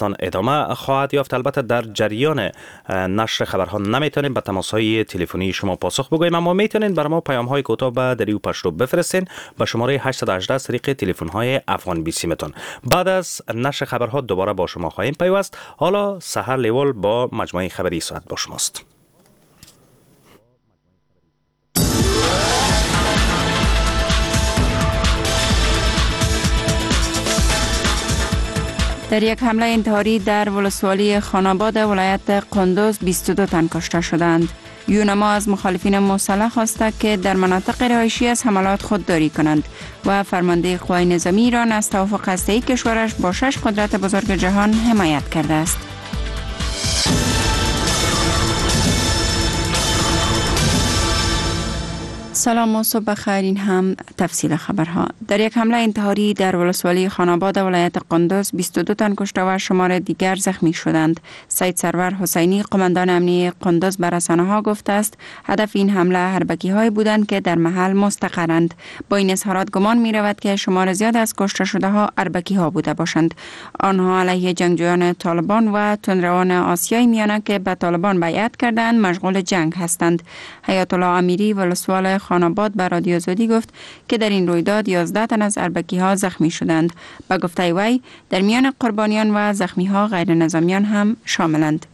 افغانستان ادامه خواهد یافت. البته در جریان نشر خبرها نمیتونیم به تماس‌های تلفنی شما پاسخ بگوییم، اما میتونین بر ما پیام‌های کوتاه به دری و پشتو بفرستین به شماره 818 از طریق تلفن‌های افغان بیسیمتون. بعد از نشر خبرها دوباره با شما خواهیم پیوست. حالا سحر لیوال با مجموعه خبری ساعت با شماست. در یک حمله انتحاری در ولسوالی خانآباد ولایت قندوز 22 تن کشته شدند. یونما از مخالفین مسلح خواسته که در مناطق رهایشی از حملات خودداری کنند و فرمانده قوای نظامی ایران از توافق هسته‌ای کشورش با 6 قدرت بزرگ جهان حمایت کرده است. سلام و صبح بخیر. این هم تفصیل خبرها. در یک حمله انتحاری در ولسوالی خانآباد ولایت قندوز 22 تن کشته و شمار دیگر زخمی شدند. سید سرور حسینی قماندان امنیه قندوز بر رسانه‌ها گفته است هدف این حمله هربکی بودند که در محل مستقرند. با این اظهارات گمان می رود که شمار زیاد از کشته شده ها اربکی ها بوده باشند. آنها علیه جنگجویان طالبان و تندروان آسیای میانه که به طالبان بیعت کردند مشغول جنگ هستند. حیات الله امیری ولسوال خانآباد به رادیو آزادی گفت که در این رویداد 11 تن از اربکی ها زخمی شدند. به گفته وی در میان قربانیان و زخمی ها غیر نظامیان هم شاملند.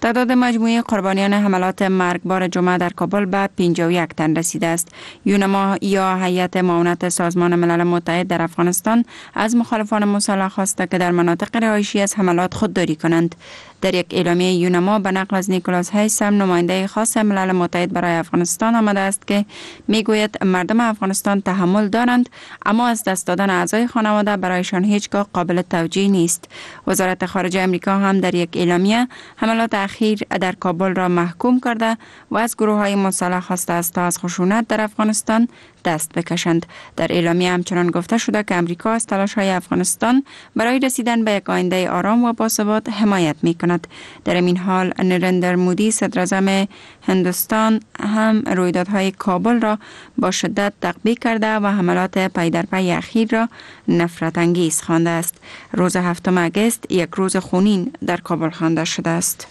تعداد مجموعی قربانیان حملات مرگبار جمعه در کابل به 51 تن رسیده است. یونما یا هیئت معاونت سازمان ملل متحد در افغانستان از مخالفان مسلح خواسته که در مناطق رهایشی از حملات خودداری کنند. در یک اعلامیه یونما به نقل از نیکولاس هیسم نماینده خاص ملل متحد برای افغانستان آمده است که میگوید مردم افغانستان تحمل دارند، اما از دست دادن اعضای خانواده برایشان هیچگاه قابل توجیه نیست. وزارت خارجه امریکا هم در یک اعلامیه حملات اخیر در کابل را محکوم کرده و از گروه‌های مسلح خواسته است تا از خشونت در افغانستان دست بکشند. در اعلامیه همچنان گفته شده که امریکا از تلاش‌های افغانستان برای رسیدن به یک آینده آرام و باثبات حمایت می‌کند. در این حال نریندر مودی صدراعظم هندوستان هم رویدادهای کابل را با شدت تقبیح کرده و حملات پی در پی اخیر را نفرت انگیز خوانده است. روز 7 اگست یک روز خونین در کابل خوانده شده است.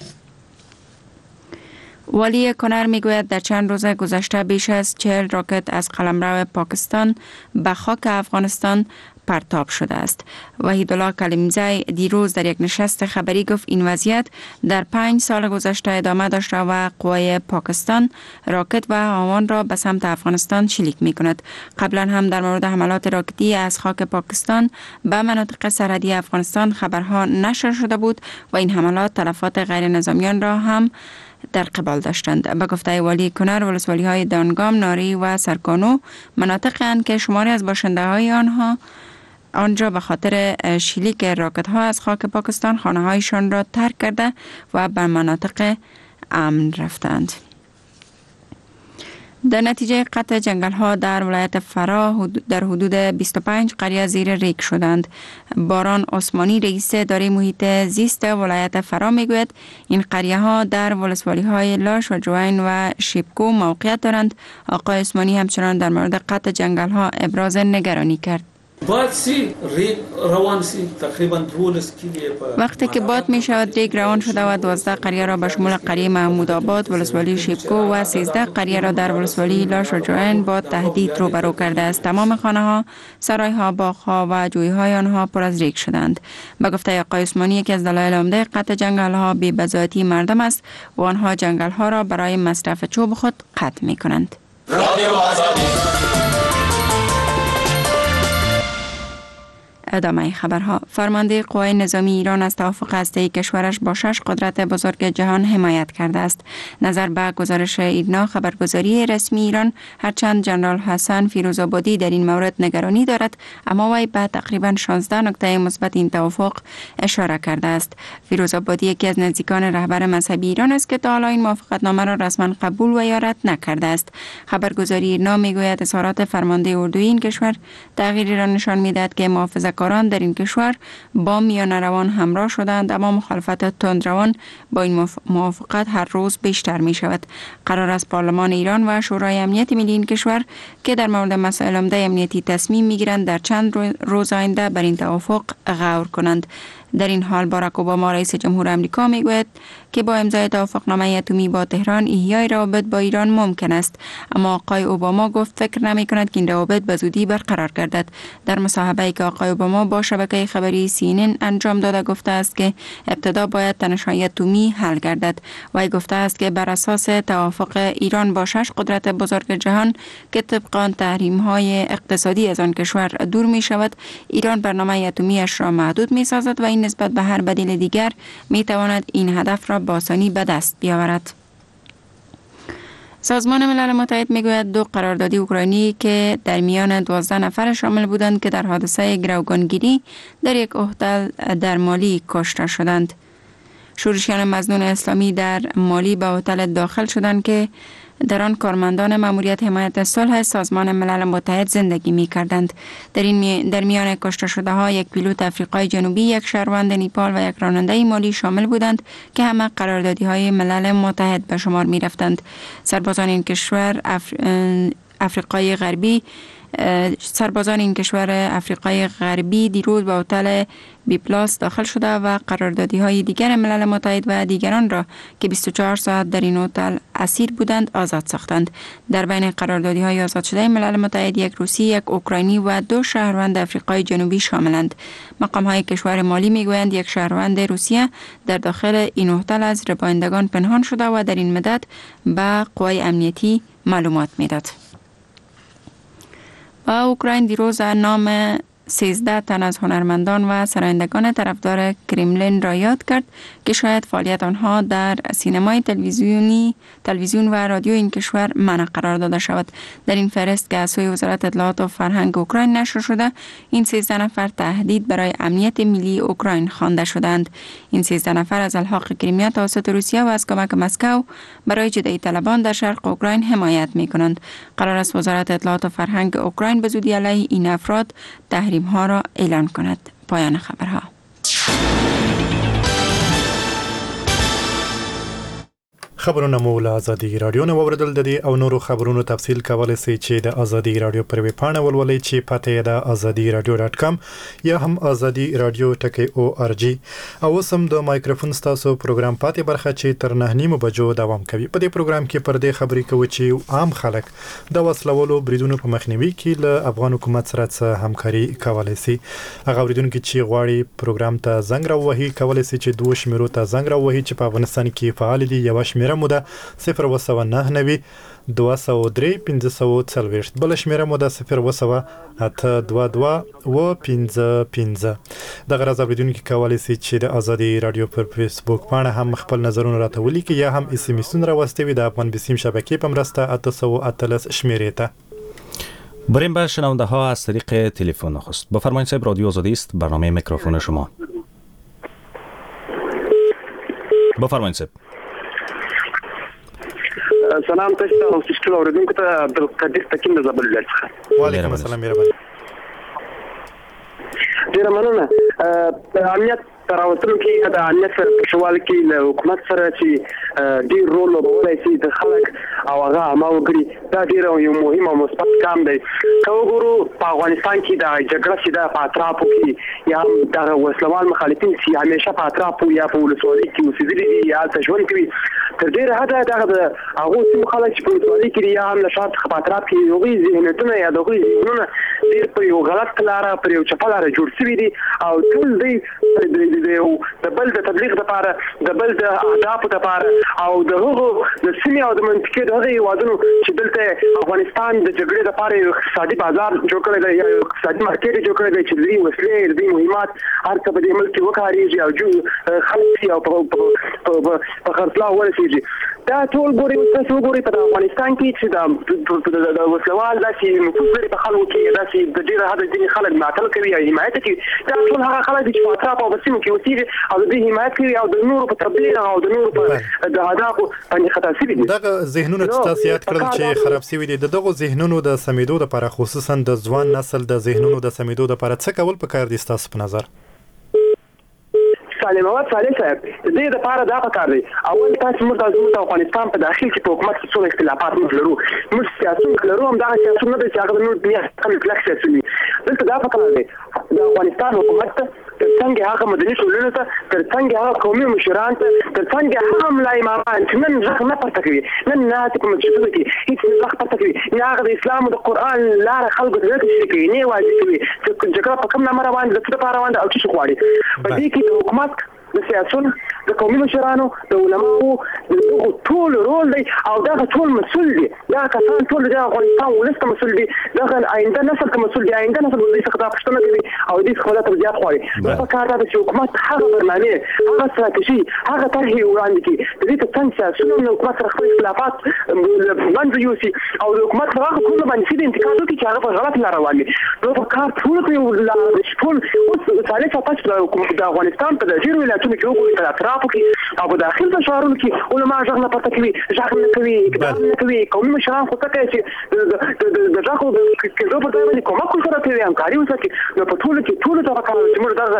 والی کنر میگوید در چند روز گذشته بیش از 40 راکت از قلمرو پاکستان به خاک افغانستان پرتاب شده است. وحیدالله کلیمزی دیروز در یک نشست خبری گفت این وضعیت در 5 سال گذشته ادامه داشته و قوای پاکستان راکت و هاوان را به سمت افغانستان شلیک می کند. قبلا هم در مورد حملات راکتی از خاک پاکستان به مناطق سرحدی افغانستان خبرها نشر شده بود و این حملات تلفات غیر نظامیان را هم در قبال داشتند. به گفته والی کنر ولسوالی های دانگام، ناری و سرکانو مناطق اند که شماری از باشنده های آنها آنجا به خاطر شلیک راکت ها از خاک پاکستان خانه هایشان را ترک کرده و به مناطق امن رفتند. در نتیجه قطع جنگل ها در ولایت فراه در حدود 25 قریه زیر ریگ شدند. باران عثمانی رئیس اداره محیط زیست ولایت فراه میگوید این قریه ها در ولسوالی های لاش و جوین و شیبکو موقعیت دارند. آقای عثمانی همچنان در مورد قطع جنگل ها ابراز نگرانی کرد. وقتی که باد می شود ریگ روان شده و 12 قریه را به شمول قریه محمود آباد ولسوالی شیبکو و 13 قریه را در ولسوالی لاش و جوین با تهدید روبرو کرده است. تمام خانه ها، سرای ها، باغ ها و جوی های آنها پر از ریگ شدند. به گفته آقای عثمانی یکی از دلایل عمده قطع جنگل ها بی بضاعتی مردم است و آنها جنگل ها را برای مصرف چوب خود قطع می کنند. ادامه خبرها. فرمانده قوای نظامی ایران از توافق هسته‌ای کشورش با 6 قدرت بزرگ جهان حمایت کرده است. نظر به گزارش ایرنا خبرگزاری رسمی ایران، هرچند جنرال حسن فیروزآبادی در این مورد نگرانی دارد، اما وی به تقریبا 16 نکته مثبت این توافق اشاره کرده است. فیروزآبادی یکی از نزدیکان رهبر مذهبی ایران است که تا حالا این موافقتنامه را رسما قبول و یا رد نکرده است. خبرگزاری ایرنا میگوید اظهارات فرمانده اردوی این کشور تغییری را نشان میدهد که محافظه کاران در این کشور با میانه روان همراه شدند، اما مخالفت تندروان با این موافقت هر روز بیشتر می شود. قرار است پارلمان ایران و شورای امنیت ملی این کشور که در مورد مسائل عمده امنیتی تصمیم می گیرند در چند روز آینده بر این توافق غور کنند. در این حال باراک اوباما رئیس جمهور امریکا میگوید که با امضای توافقنامه اتمی با تهران احیای روابط با ایران ممکن است، اما آقای اوباما گفت فکر نمی کند که این روابط به زودی برقرار گردد. در مصاحبه‌ای که آقای اوباما با شبکه خبری CNN انجام داده گفته است که ابتدا باید تنش‌های اتمی حل گردد. وی گفته است که بر اساس توافق ایران با 6 قدرت بزرگ جهان که طبق آن تحریم‌های اقتصادی از آن کشور دور می شود، ایران برنامه اتمی‌اش را محدود می سازد و این نسبت به هر بدیل دیگر می تواند این هدف را با آسانی به دست بیاورد. سازمان ملل متحد میگوید 2 قراردادی اوکراینی که در میان 12 نفر شامل بودند که در حادثه گروگانگیری در یک هتل در مالی کشته شدند. شورشیان مظنون اسلامی در مالی به هتل داخل شدند که در آن کارمندان ماموریت حمایت صلح سازمان ملل متحد زندگی می کردند. در میان کشته شده ها یک پیلوت افریقای جنوبی، یک شهروند نیپال و یک راننده مالی شامل بودند که همه قراردادی های ملل متحد به شمار می رفتند. سربازان این کشور افریقای غربی سربازان این کشور افریقای غربی دیروز به هتل بی پلاس داخل شده و قراردادی های دیگر ملل متحد و دیگران را که 24 ساعت در این هتل اسیر بودند آزاد ساختند. در بین قراردادی های آزاد شده ملل متحد یک روسی، یک اوکراینی و 2 شهروند افریقای جنوبی شاملند. مقام های کشور مالی میگویند یک شهروند روسیه در داخل این هتل از ربایندگان پنهان شده و در این مدت به قوای امنیتی معلومات میداد. و اوکراین دیروز نام 13 تن از هنرمندان و سرایندگان طرفدار کرملین را یاد کرد که شاید فعالیت آنها در سینمای تلویزیون و رادیو این کشور منع قرار داده شود. در این فهرست که از سوی وزارت اطلاعات و فرهنگ اوکراین نشر شده، این 13 نفر تهدید برای امنیت ملی اوکراین خوانده شدند. این 13 نفر از الحاق کریمیا توسط روسیه و از کمک مسکو برای جدایی طلبان در شرق اوکراین حمایت می کنند. قرار است وزارت اطلاعات و فرهنگ اوکراین به زودی علیه این افراد تحریم ها را اعلان کند. پایان خبرها. خبرونه مو له ازادي راډیو نه واورېدل. د دې او نورو خبرونو تفصیل کولی شئ چې د ازادي راډیو پر ویبپاڼه ولولئ چې پته یې ده azadi.radio.com یا هم ازادي راډیو .org. او اوس هم د مایکروفون ستاسو پروګرام پاتې برخه چې تر 9:30 بجو دوام کوي. په دې پروګرام کې پر دې خبرې کوو چې عام خلک د وسلوالو بریدونو په مخنیوي کې له افغان حکومت سره څه همکاري کولی شي. هغه اورېدونکي چې غواړي پروګرام ته زنګ راووهي کولی شي چې دوو شمېرو ته زنګ راووهي چې په افغانستان کې فعال دي. یوه شمېره مو ده 099 203 540، بله شمېره مو ده 07822 و55. دغه راز اورېدونکي کولی شي چې د ازادي راډیو پر فیسبوک پاڼه هم خپل نظرونه راته ولیکي یا هم اس ام اسونه راواستوي د افغان بسیم شبکې په مرسته 818 شمېرې ته. بریم به شنونده ها از طریق تلفن. نخست بفرمایید صاحب، رادیو آزادی است، برنامه میکروفون شما. بفرمایید صاحب. سلام تاسو ته او ټولو اوریدونکو ته. عبدالقدیر تکین د زابل ولایت څخه. وعلیکم السلام، مهرباني. ډېره مننه. امنیت راوستلو کې د امنیت په ښه والي کې له حکومت سره چې ډېر رول لوبولی شي د خلک او هغه عامه وګړي، دا ډېر یو مهم او مثبت ګام دی. که وګورو په افغانستان کې دا جګړه چې ده په اطرافو کې یا هم دغه وسلوال مخالفین چې همیشه په اطرافو یا په ولسوالۍ کې اوسېدلي دي یا هلته ژوند کوي، تر ډېره حده دغه د هغو سیمو خلک چې په ولسوالۍ کې دي یا هم له ښار څخه په اطراف کې، هغوی ذهنیتونه یا د هغوی ذهنونه ډېر پر یو غلط لاره، پر یو چپه لاره جوړ شوي دي او ټول دوی د بل د تبلیغ لپاره، د بل د اهدافو لپاره او د هغو د سیمې او د منطقې د هغو هېوادونو چې دلته افغانستان د جګړې لپاره یو اقتصادي بازار جوړ کړی دی یا یو اقتصادي مارکېټ جوړ کړی دی چې د دوی وسلې، د دوی مهمات هر څه په دې ملک کې وکارېږي او خلک او په خرڅلاو ورسېږي. دا ټول ګوري، اوس تاسو وګورئ په افغانستان کې چې د وسلوال داسې نفوذ لري په خلکو کې، داسې د ډېره حده ځینې خلک ملاتړ کوي او حمایت کوي. دا ټول هغه خلک دي چې په اطرافو او په سیمو کې اوسېږي او د دوی حمایت کوي او د نورو په تبلیغ او د نورو په د اهدافو باندې خطا شوي دي. دغه ذهنونه چې تاسو یاد کړل چې خراب شوي دي، د دغو ذهنونو د سمېدو لپاره، خصوصا د ځوان نسل د ذهنونو د سمېدو لپاره څه کول پکار دي ستاسو په نظر؟ صالح محمد صالح صاحب، د دې لپاره دا پکار دی، اول تاسو موږ د افغانستان په داخل کې په حکومت کې څومره اختلافات موږ لرو، موږ سیاسیون لرو، هم دغه سیاسیون نه دی چې هغه د نور دنیا څخه کلک سیاسیون وي. دلته دا پکار دی د افغانستان حکومت ته ترڅنګ هغه مدني ټولنو ته، ترڅنګ هغه قومي مشران ته، ترڅنګ هغه ملا امامان چې نن غږ نه پورته کوي، نن ناست په مسجدونو کې هیڅ غږ پورته کوي نه، هغه د اسلام او د قرآن لاره خلکو ته نه تشریح کوي، نه یې واضح کوي چې جګړه په کوم نامه روانه ده، د څه لپاره روانه ده او څه شي غواړي. په دې کې د حکومت، د سیاسون، د قومي مشرانو، د علماو، د دغو ټولو رول دی او دغه ټول مسول دي. دغه کسان ټول د افغانستان ولس ته مسول دي، دغه آینده نسل ته مسول دي. آینده نسل دوی څخه دا پوښتنه کوي او دوی څخه دا توضیحات غواړي. نو په کار دا ده چې حکومت هغه برنامې، هغه ستراتیژي، هغه طرحې وړاندې کړي، د دې ترڅنګ سیاسون هم له حکومت سره خپل اختلافات له منځه یوسي او د حکومت پر هغو کړنو باندې سیده انتقاد وکړي چې هغه په غلطه لار روان دي. نو په کار ټولو ته یو لاره ده چې ټول اوس صالح صاحب تاسو د افغانستان په ډېرو ولایتونو کې وګورئ، په اطرافو کې او په داخل په ښارونو کې علما غږ نه پورته کوي، غږ نه کوي، اقدام نه کوي. قومي مشران خو څه کوي چې د غږ کېدو پر ځای باندې کومک ورسره کوي، همکاري ورسره کوي. نو په ټولو کې ټولو ته پکار ده چې موږ دغه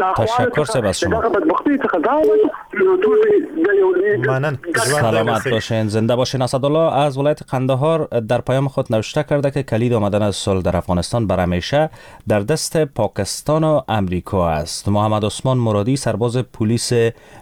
ناخوالو څخه، دغه بدبختیو څخه ځان وباسو. نو ټول سلامت باشین، زنده باشین. اسدالله از ولایت قندهار در پیام خود نوشته کرده که کلید آمدن صلح در افغانستان بر همیشه در دست پاکستان و امریکا است. محمد عثمان مرادی سرباز پلیس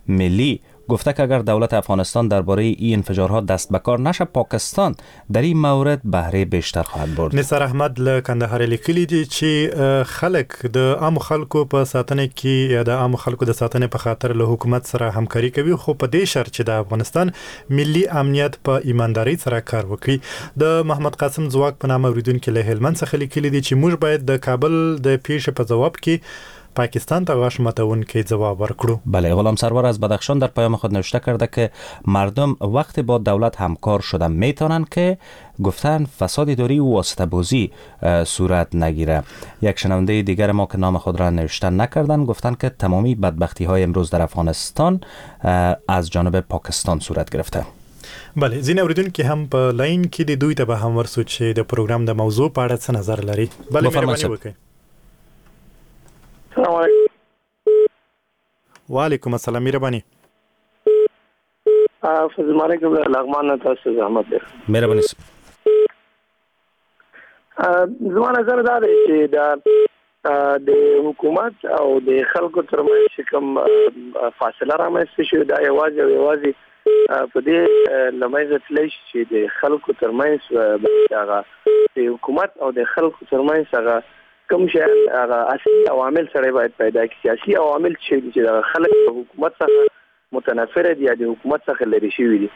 ملی گفته که اگر دولت افغانستان درباره این انفجارها دست به کار نشه، پاکستان در این مورد بهره بیشتر خواهد برد. نثار احمد له کندهار لیکلي دي چې خلک د عام خلکو په ساتنه کې یا د عام خلکو د ساتنې په خاطر له حکومت سره همکاري کوي، خو په دې شرط چې د افغانستان ملي امنیت په ایماندارۍ سره کار وکړي. د محمد قاسم ځواک په نامه اوریدونکي له هلمند څخه لیکلي دي چې موږ باید د کابل د پیښې په ځواب کې پاکستان ته غاښ ماتونکی ځواب ورکړو. بله، غلام سرور از بدخشان در پیام خود نوشته کرده که مردم وقتی با دولت همکار شدن میتونن که گفتن فساد اداری و واسطه بازی صورت نگیره. یک شنونده دیگر ما که نام خود را نوشته نکردن گفتن که تمامی بدبختی های امروز در افغانستان از جانب پاکستان صورت گرفته. بله، ځینې اوریدونکي هم په لاین کې دي، دوی ته به هم ورسو چې د پروګرام د موضوع په اړه څه نظر لري. بله، مهرباني وکړئ. السلام علیکم. وعلیکم السلام، مهرباني. فضل مالک له لغمان نه تاسو زحمت دی. مهرباني. زما نظر دا دی چې د حکومت او د خلکو ترمنځ چې کوم فاصله رامنځته شوې، دا یوازې او یوازې په دې له منځه تللی شي چې د خلکو ترمنځ هغه د حکومت او د خلکو ترمنځ هغه کوم شی هغه اصلي عوامل سره باید پیدا کړي. چې اصلي عوامل چې دي چې دغه خلک د حکومت څخه متنفر دي یا د حکومت څخه لرې شوي دي،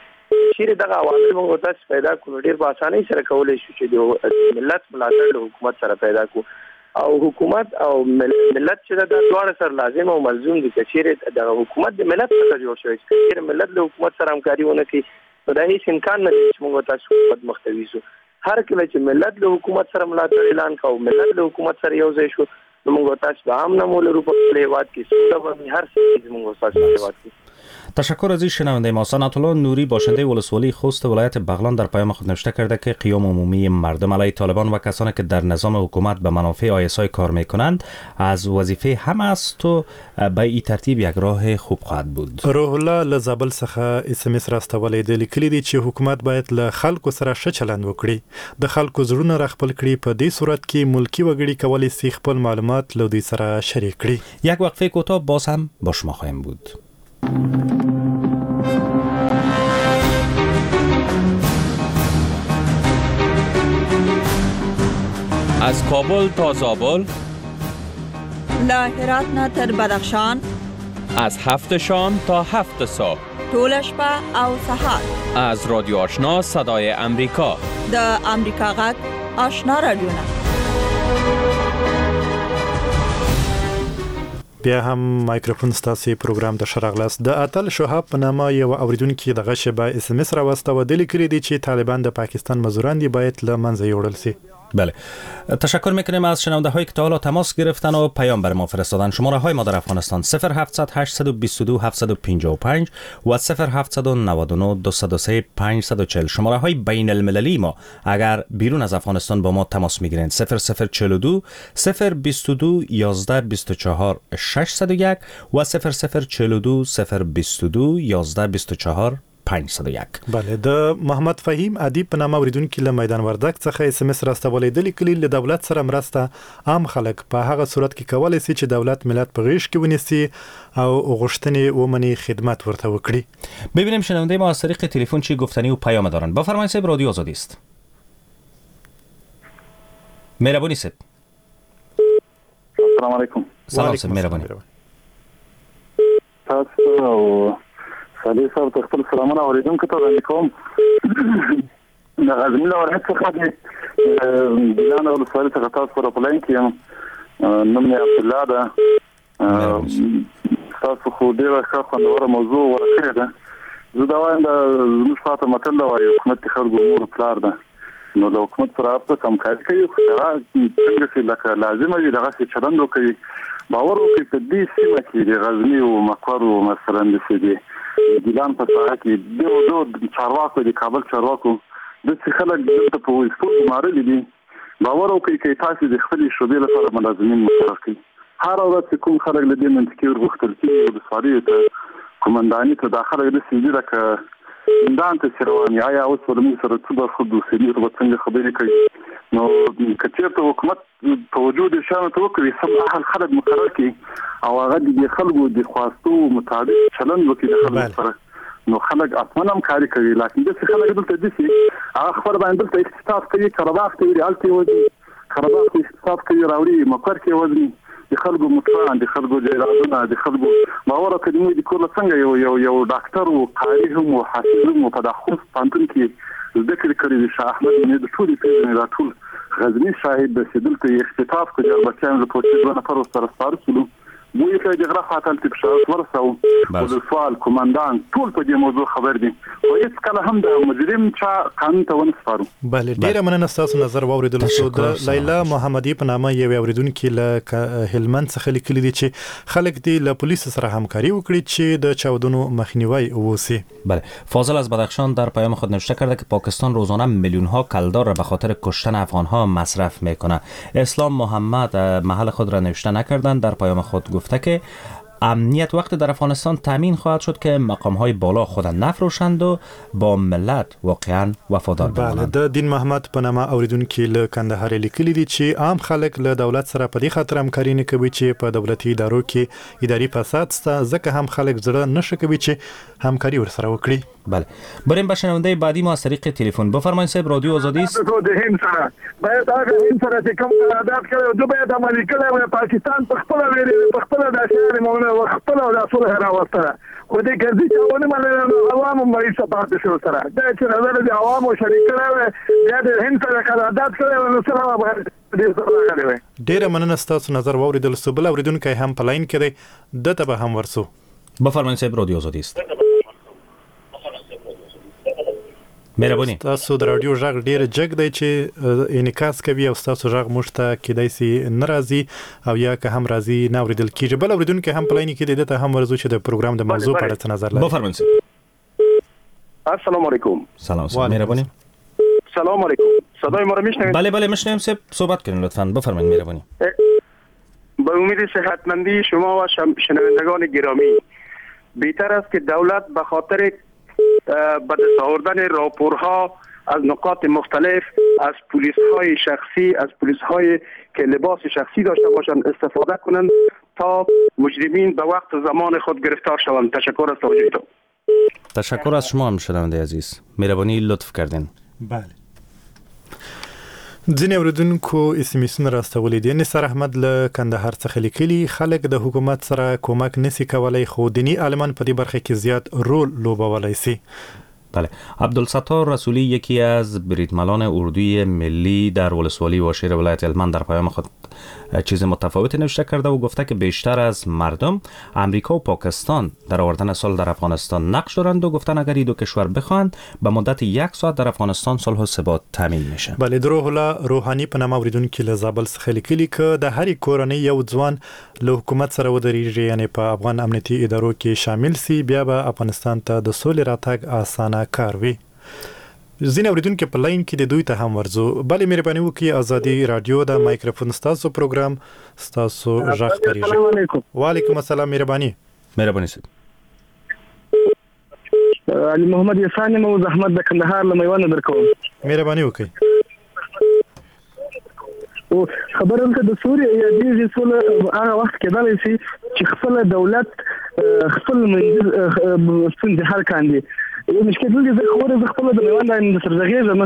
چیرې دغه عوامل موږ تاسو پیدا کړو ډېر په اسانۍ سره کولی شو چې د ملت ملاتړ له حکومت سره پیدا کړو. او حکومت او ملت چې دا دواړه سره لازم او ملزوم دي. که چیرې دغه حکومت د ملت څخه جوړ شوی، که چیرې ملت له حکومت سره همکاري ونه کړي نو دا هیڅ امکان نه لري چې موږ تاسو حکومت مخ ته ویسو. هر کله چې ملت له حکومت سره ملاتړ اعلان کړ او ملت له حکومت سره یو ځای شو، نو موږ تاسو به امن هم ولرو په خپل هېواد کې، سوله به وي، هر څه زموږ تاسو په هېواد کې. تشکر از این شنونده ما. ثناءالله نوری باشنده ولسوالی خوست ولایت بغلان در پیام خود نوشته کرده که قیام عمومی مردم علیه طالبان و کسانی که در نظام حکومت به منافع آی اس آی کار میکنند از وظیفه هم است و به این ترتیب یک راه خوب خواهد بود. روح الله له زابل څخه اس ام اس راستولی دی، لیکلي دي چې حکومت باید له خلکو سره ښه چلند وکړي، د خلکو زړونه راخپل کړي. په دې صورت کې ملکي وګړي کولی شي خپل معلومات له دوی سره شریک کړي. یک وقفه کوتاه باز هم با شما خواهیم بود. از کابل تا زابل، له هرات نه تر بدخشان، از 7 شام تا 7 صبح، ټوله شپه او سهار، از رادیو آشنا صدای امریکا، د امریکا غږ آشنا رادیو نه. بیا هم مایکروفون ستاسو پروګرام ته ښه راغلاست. د اتل شهاب په نامه یو اوریدونکي دغه شېبه اس ام اس راواستوه، ده لیکلي دي چې طالبان د پاکستان مزدوران دي، باید له منځه یوړل شي. بله، تشکر میکنیم از شنونده هایی که تا حالا تماس گرفتن و پیام بر ما فرستادن. شماره های ما در افغانستان 0700 822 755 و 0799 203 540. شماره های بین المللی ما اگر بیرون از افغانستان با ما تماس میگیرند 0042 022 11 24 601 و 0042 022 11 24 501. بله، د محمد فهیم ادیب په نامه اوریدونکي له میدان وردګ څخه اس ام اس راستولی ده، لیکلي له دولت سره مرسته عام خلک په هغه صورت کې کولی سي چې دولت ملت په غېږ کې ونیسي او غوښتنې ومني، خدمت ورته وکړي. ببینیم شنونده ما از طریق تلفن چی گفتنی و پیام دارن. بفرمایید صاحب، رادیو آزادی است. مهربونی صاحب. السلام علیکم. سلام صاحب، مهربونی. تاسو او صالح صاحب ته خپل سلامونه اورېدونکو ته وړاندې کوم. د غزني له ولایت څخه د ګیلان ولسوالۍ څخه تاسو سره په لاین کې یم. نوم مې عبدالله ده. تاسو خو ډېره ښه خوندوره موضوع غوره کړې ده. زه دا وایم، دا زموږ خواته متل ده، وایي حکومت د خلکو مور او پلار ده، نو له حکومت سره هر څوک همکاري کوي، خو هغه څنګه چې لکه لازمه وي دغسې چلند وکوي. باور وکړئ په دې سیمه کې د غزني او مقر او مثلاً داسې د ګیلان په ساحه کې ډېرو ډېرو چارواکو، د کابل چارواکو داسې خلک دلته په وظیفو ګمارلي دي. باور وکړئ که تاسې د خپلې شعبې لپاره ملازمین مقرر کړئ، هره ورځ چې کوم خلک له دې منطقې ورغوښتل کېږي ولسوالیو ته، قومنداني ته، دا خلک داسې دي لکه زندان ته چې روان وي. آیا اوس به له موږ سره څه برخورد وشي، موږ به څنګه خبرې کوي؟ نو که چېرته حکومت توجه دې شیانو ته وکړي، سم اهل خلک مقرر کړي او هغه د دې خلکو د خواستو مطابق چلند وکړي د خلکو سره، نو خلک حتماً همکاري کوي. لکن داسې خلک دلته دي چې هغه خپل باندې دلته اقتصاد کوي، قرباغ ته وړي، هلته یې وځي، قرباغ ته اقتصاد کوي راوړي، مقر کې یې وځي، د خلکو موټران، د خلکو جایدادونه، د خلکو باور وکړئ موږ د کور له څنګه یو یو یو ډاکټر و، قاري هم و، حافظ هم و، په دا خوست پوهنتون کې زده کړې کړې دي. شاه احمد مې د ټولې پېژنې، دا ټول غزني شاهد دی چې دلته یې اختطاف کړ، جربکیان له پوستې دوه نفر ورسره سپاره شولو، موږ یې د غره خواته هلته په شهادت ورساوه. ولسوال، قومندان ټول په دې موضوع خبر دي، خو هېڅکله هم د مجرم چا قانون ته ونه سپارو. بله، ډېره مننه ستاسو نظر واورېدل شو. د لیلا محمدي په نامه یوې اورېدونکې له هلمند څخه لیکلي دي چې خلک دې له پولیسو سره همکاري وکړي چې د چاودنو مخنیوی وشي. بله، فاضل از بدخشان در پیام خود نوشته کرده که پاکستان روزانه میلیون ها کلدار را به خاطر کشتن افغان ها مصرف میکنه. اسلام محمد محل خود را نوشته نکردن، در پیام خود گفته که امنیت وقت در افغانستان تامین خواهد شد که مقام های بالا خود نفروشند و با ملت واقعا وفادار بمانند. بله، د دین محمد په نامه اوریدونکي له کندهار لیکلي دي چې عام خلک له دولت سره په دې خاطر همکاري نه کوي چې په دولتي ادارو کې اداري فساد شته، ځکه هم خلک زړه نه ښه کوي چې همکاري ورسره وکړي. بله، بریم به شنونده بعدی ما از طریق تلفن. بفرمایید صاحب، رادیو آزادی است. د هند سره باید هغه هند سره چې کوم قرارداد کړی دوی باید عملي کړی وای. پاکستان په خپله ویلي، په خپله دا شیان مونږ خپله دا صلح راوستله، خو دې کرزي چا ونه منله، نو عوامو مریض پاتې شو سره. دا چې نظر د عوامو شریک کړی وای، بیا د هند سره قرارداد کړی وای، نو سره به ډېر څه راغلی وای. ډېره مننه ستاسو نظر واورېدل سو. بل اورېدونکی هم په لاین کې دی، ده ته به هم ورسو. بفرمایید صاحب، رادیو آزادی است. مهرباني. ستاسو د رادیو غږ ډیر جګ دی چې انعکاس کوي او ستاسو غږ موږ ته کېدای سي نه راځي او یا که هم راځي نه اورېدل کېږي. بل اورېدونکی هم په لاین کې دی، ده ته هم ورځو چې د پروګرام د موضوع په اړه څه نظر لري. بفرمایئ. السلام علیکم. سلام صاحب، مهرباني. سلام علیکم، صدای ما رو میشنوید؟ بله بله میشنویم صاحب، صحبت کنین لطفاً، بفرمایید. مهرباني. به امید صحتمندی شما و شنوندگان گرامی، بهتر است که دولت به خاطر به دست آوردن راپورها از نقاط مختلف، از پلیس های شخصی، از پلیس های که لباس شخصی داشته باشند استفاده کنند تا مجرمین به وقت زمان خود گرفتار شوند. تشکر از توجهتان. تشکر از شما هم شنونده عزیز، مهربانی لطف کردین. بله، ځینې اورېدونکو اس ام اسونه راستولي دي. نثار احمد له کندهار څخه لیکلي، خلک د حکومت سره کومک نسی کولی، خو دیني عالمان په دې برخه کې زیات رول لوبولی سي. بله، عبدالستار رسولی یکی از بریدملان اردوی ملی در ولسوالی واشیر ولایت هلمند در پیام خود چیز متفاوتی نوشته کرده و گفته که بیشتر از مردم امریکا و پاکستان در آوردن صلح در افغانستان نقش دارند و گفتن اگر این دو کشور بخواهند به مدت یک ساعت در افغانستان صلح و ثبات تامین میشه. بله، د روح الله روحاني په نامه اوریدونکي له زابل څخه لیکلي که د هرې کورنۍ یو ځوان له حکومت سره ودرېږي، یعنې په افغان امنیتي ادارو کې شامل سي، بیا به افغانستان ته د سولې راتګ اسانه کار وي. ځینې اوریدونکي په لاین کې د دوی ته هم ورځو. بله مهرباني وکړئ، ازادي راډیو د مایکروفون ستاسو پروګرام ستاسو غږ خپرېږي. وعلیکم السلام، مهرباني. مهرباني صاحب. علي محمد یسان یم او زحمت د کندهار له میوند درکوم. مهرباني وکړئ. او خبره دلته د سوري یادېږي. سوله هغه وخت کېدلی شي چې خپله دولت خپل منځي ستونزې حل کاندي. یو مشکل دلته زه خبره زه خپله د میوند د سره غږېږم.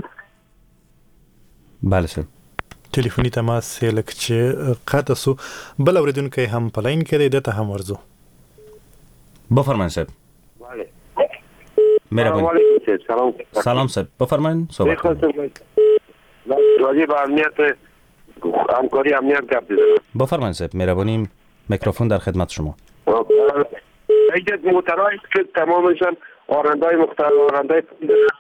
بله سر. تلفوني تماس یې لږ چې قطع سو. بل اورېدونکی هم په لاین کې دی، ده ته هم ورځو. بفرمایئ صاحب. بله. مهربانی. سلام. سلام صاحب، بفرمایئ صحبت کنید. راجع به امنیت همکاری امنیت گپ بزنم. بفرمایئ صاحب، مهربانی، میکروفون در خدمت شما. یک موترهایی که تمامشان آرندهای مختلف، آرندهای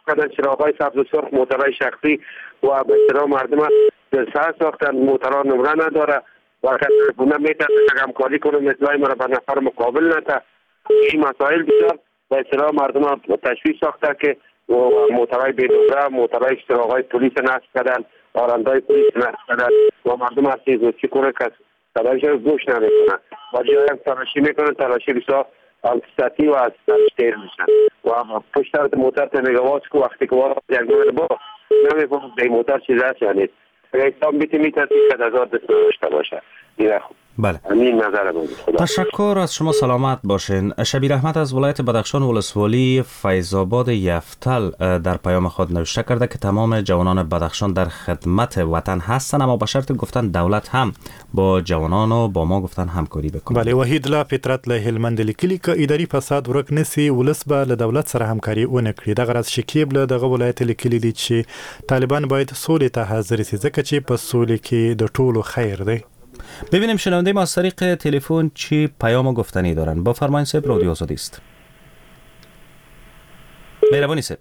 کردن، چراغ‌های سبز و سرخ، موترهای شخصی و به اصطلاح مردم دلسرد ساختن. موترها نمره نداره و کسی میترسه که همکاری کنه مثلای مرا به نفر مقابل نته. این مسائل بسیار به اصطلاح مردم تشویش ساخته که موترهای بی نمره، موترهای چراغ‌های پلیس نصب کردن، آرندهای پلیس نصب کردن و مردم از چیز کنه که صدایش رو گوش نمیکنن و جایی هم تلاشی میکنن، تلاشی بسیار سطحی و از سرش دیر میشن و پشت طرف موتر تا میگه واس که وقتی که واس یک نوع با نمیفهمم به موتر چیز هست یا نیست. اگه اسلام بیتی میترسی که هزار دست نداشته باشه. بله. همین نظر من. تشکر از شما، سلامت باشین. شبیر احمد از ولایت بدخشان ولسوالی فیض آباد یفتل در پیام خود نوشته کرده که تمام جوانان بدخشان در خدمت وطن هستند، اما به شرط گفتن دولت هم با جوانان و با ما گفتن همکاری بکنه. بله. وحید لا فطرت له هلمند لیکلي که اداري فساد ورک نسی ولس به له دولت سره همکاري ونه کړي. دغه راز شکیب له دغه ولایت لیکلي دي چې طالبان باید سولې ته حاضر شي، ځکه چې په سولې کې د ټولو خیر دی. ببینیم شنونده ما از طریق تلفن چی پیام گفتنی دارن. بفرمایید صاحب، رادیو آزادی است. مهربانی صاحب.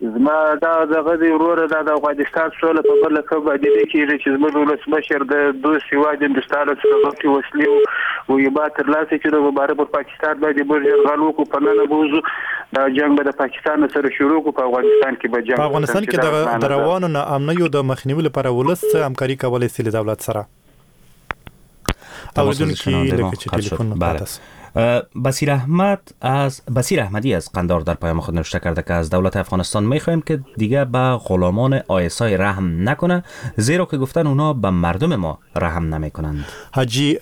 زما دا دغه دی وروره، دا د افغانستان سوله په بله ښه باندې نه کېږي چې زموږ ولسمشر د دوست هېواد هندوستان څخه غوښتي وسلې او یې ترلاسه کړي، نو مبارک پر پاکستان باندې موږ یرغل وکړو، په ننه به وځو، دا جنګ به د پاکستان سره شروع کړو، په افغانستان کې به جنګ. په افغانستان کې د روانو ناامنیو د مخنیوي لپاره ولس څه همکاري کولی شي له دولت سره؟ بله. بصیر احمدی از قندار در پیام خود نوشته کرده که از دولت افغانستان میخواهیم که دیگه به غلامان آیسای رحم نکنه، زیرا که گفتن اونا به مردم ما رحم نمیکنند. حاجی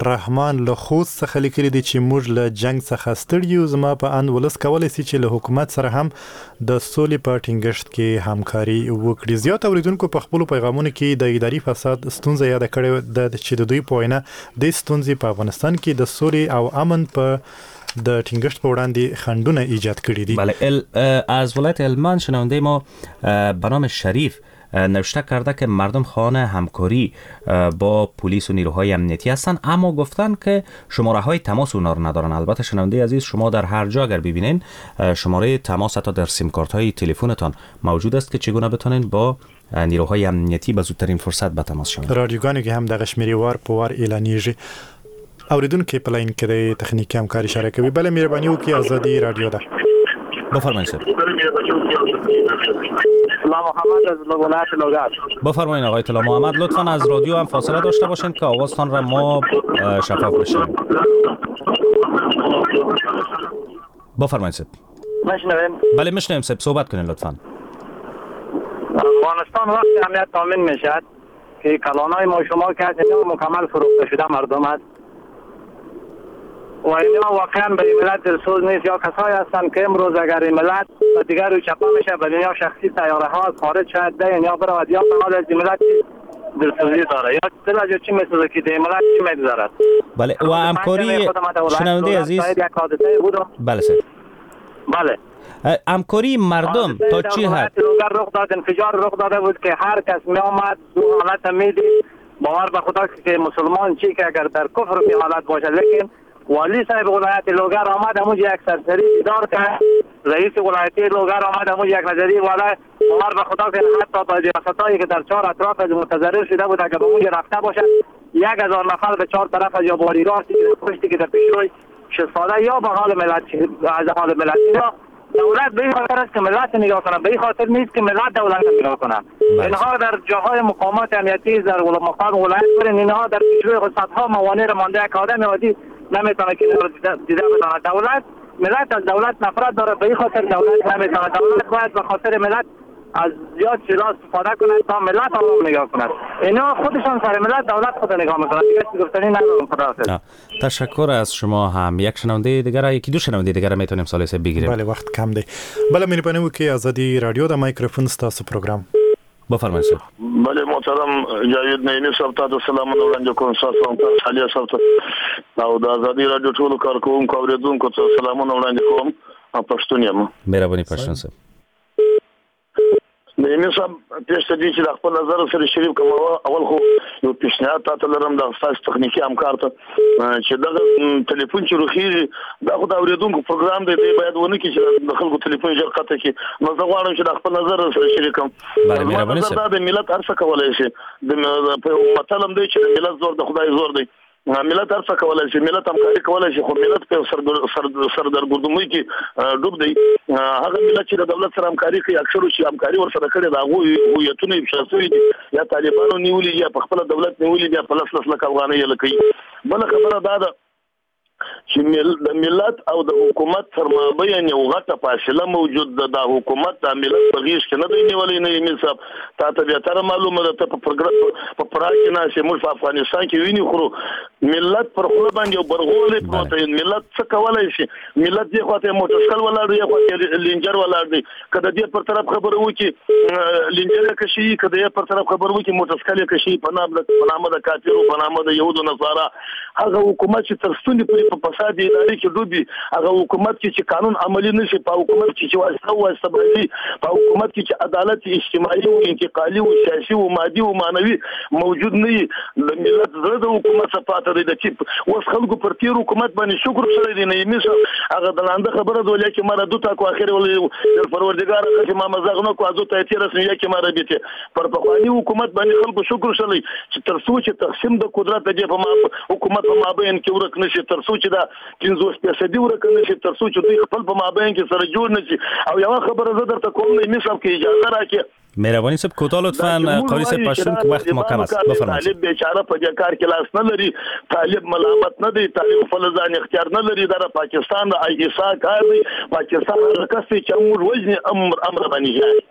رحمان له خوست څخه لیکلي دي چې موږ له جنگ څخه ستړي یو، زما په اند ولس کولی شي چې له حکومت سره هم د سولې په ټینګښت کې همکاري وکړي. زیات اوریدونکو په خپلو پیغامونو کې د اداري فساد ستونزه یاده کړې ده چې د دوی په وینا دې ستونزې په افغانستان کې د سولې او امن په د ټینګښت په وړاندې خنډونه ایجاد کړي دي. بله. از ولایت هلمند شنونده ما به نام شریف نوشته کرده که مردم خواهان همکاری با پلیس و نیروهای امنیتی هستند، اما گفتن که شماره های تماس اونا رو ندارن. البته شنونده عزیز، شما در هر جا اگر ببینین شماره تماس حتی در سیم کارت های تلفنتان موجود است که چگونه بتونین با نیروهای امنیتی به زودترین فرصت به تماس شوند. رادیوګانو کې هم دغه شمیرې وار په وار اعلانیږي. اوریدونکو په لاین کې د تخنیکي همکاري اشاره کوي. بله مهرباني وکړئ، ازادي رادیو ده. بفرمایید صاحب. طلا محمد از ولایت لوگر. بفرمایید آقای طلا محمد، لطفاً از رادیو هم فاصله داشته باشین که آوازتان را ما شفاف بشنویم. بفرمایید صاحب. میشنویم؟ بله میشنویم صاحب، صحبت کنین لطفاً. افغانستان وقتی امنیت تامین میشد که کلانای ما شما که اینا مکمل فروخته شده مردم است و اینا واقعا به ملت دلسوز نیست، یا کسایی هستند که امروز اگر این ملت و دیگر رو چپه میشه به دنیا شخصی تیاره ها خارج شد ده یا برود یا به حال از ملت دلسوزی داره یا دل از چی میسوزه که ده ملت چی میگذرد. بله و همکاری شنونده عزیز، بله سر. بله همکاری مردم تا چی حد رخ داد؟ انفجار رخ داده بود که هر کس می آمد دو حالت میدید، باور به خدا که مسلمان چی که اگر در کفر می حالت باشه، لیکن والی صاحب ولایت لوگر آمد همونجا یک سرسری دیدار کرد، رئیس ولایتی لوگر آمد همونجا یک نظری والا، باور به خدا که حتی با ریاستایی که در چهار اطراف از متضرر شده بود اگر به اونجا رفته باشد 1000 نفر به چهار طرف از یا باری راستی که پشتی که در پیشروی شستاده یا به حال ملت از حال ملت. دولت به این خاطر است که ملت نگاه کنه، به این خاطر نیست که ملت دولت نگاه کنه. اینها در جاهای مقامات امنیتی در مقام ولایت برین، اینها در پیشروی خود صدها موانع را مانده. یک آدم عادی نمیتونه که دیده بتونه. دولت ملت از دولت نفرت داره، به این خاطر دولت نمیتونه. دولت باید به خاطر ملت از زیاد چیزا استفاده کند تا ملت آرام نگاه کند. اینا خودشان سر ملت دولت خود نگاه میکنند. دیگه گفتنی ندارم. خداحافظ. تشکر از شما هم. یک شنونده دیگر، یکی دو شنونده دیگر میتونیم ثالثه بگیریم. بله وخت کم دی. بله مهرباني وکړئ، ازادي رادیو د مایکروفون ستاسو پروګرام. بفرمایئ صاحب. بله محترم جاوید نعیمي صاحب ته سلامونه وړاندې کوم، ستاسو هم صالح صاحب ته او د ازادي رادیو ټولو کارکوونکو اورېدونکو ته سلامونه وړاندې کوم. پښتون یم. مهرباني پښتون صاحب. نعیمي صاحب پېښ ته دي چې د خپل نظر سره شریک کوم. اول خو یو پیشنهاد تاته لرم د ستاسو تخنیکي همکار ته چې دغه تلیفون چې روخیږي دا خو د اورېدونکو پروګرام دی، دی باید ونه کړي چې د خلکو تلیفون ژر قطع کړي. نو زه غواړم چې د خپل نظر سره شریک کړم. مهرباني صاحب. دا د ملت هر څه کولی شي. د متل هم دی چې د ملت زور د خدای زور دی. ملت هر څه کولی شي، ملت همکاري کولی شي، خو ملت په سردرګردمۍ کې ډوب دی. هغه ملت چې د دولت سره همکاري کوي، اکثرو چې همکاري ورسره کړې ده هغوی هویتونه افشا شوي دي، یا طالبانو نیولي دي، یا په خپله دولت نیولي دي، یا په لس لس لکه افغانۍ یې لکوي. بله خبره دا ده چې د ملت او د حکومت تر مابین یو غټه فاصله موجود ده. دا حکومت د ملت په غېږ کې نه دی نیولی. نعیمي صاحب تا ته بهتره معلومه ده، ته په پراګ کې ناست یې، موږ په افغانستان کې وینې خورو. ملت پر خوله باندې یو برغولی پروت دی. ملت څه کولی شي؟ ملت دې خوا ته یې موټرسایکل ولاړ دی، خوا ته یې لینجر ولاړ دی. که د دې پر طرف خبره وکړي لینجر یې کشوي، که د دې پر طرف خبره وکړي موټرسایکل یې کشوي، په نامه د کافرو، په نامه د یهودو نصارا. هغه حکومت چې تر ستوني پورې په فساد اداري کې ډوبي، هغه حکومت کې چې قانون عملي نشي، په حکومت کې چې واسطه واسطه بازي، په حکومت کې چې عدالت اجتماعي او انتقالي او سیاسي او مادي او معنوي موجود نه وي، د ملت زړه د حکومت څخه پاته دی. د چې اوس خلکو پر تېر حکومت باندې شکر کړی دی. نعیمي صاحب هغه د لانده خبره ده، ولیکې مره دوتا کو اخر ولې پروردګار ښه ما مزاغ نه کو ازو ته تېره سوې یکې مره بیته. پر پخواني حکومت باندې خلکو شکر کړی چې تر څو چې تقسیم د قدرت د دې په حکومت په مابین کې ورک نشي، تر څو چې دا 50% ورک نشي، تر څو چې دوی خپل په مابین کې سره جوړ نشي. او یوه خبره زه درته کوم نعیمي صاحب که اجازه راکړې. مهربانی صاحب کوتاه لطفاً. قاری صاحب پشتون که وقت ما کم است بفرمایید. طالب بیچاره په دې کار کې لاس نه لري، طالب ملامت نه دی، طالب خپل ځان اختیار نه لري. دا پاکستان د آی اس آی کار دی. پاکستان هغه کس دی چې موږ وژني، امر باندې جاري.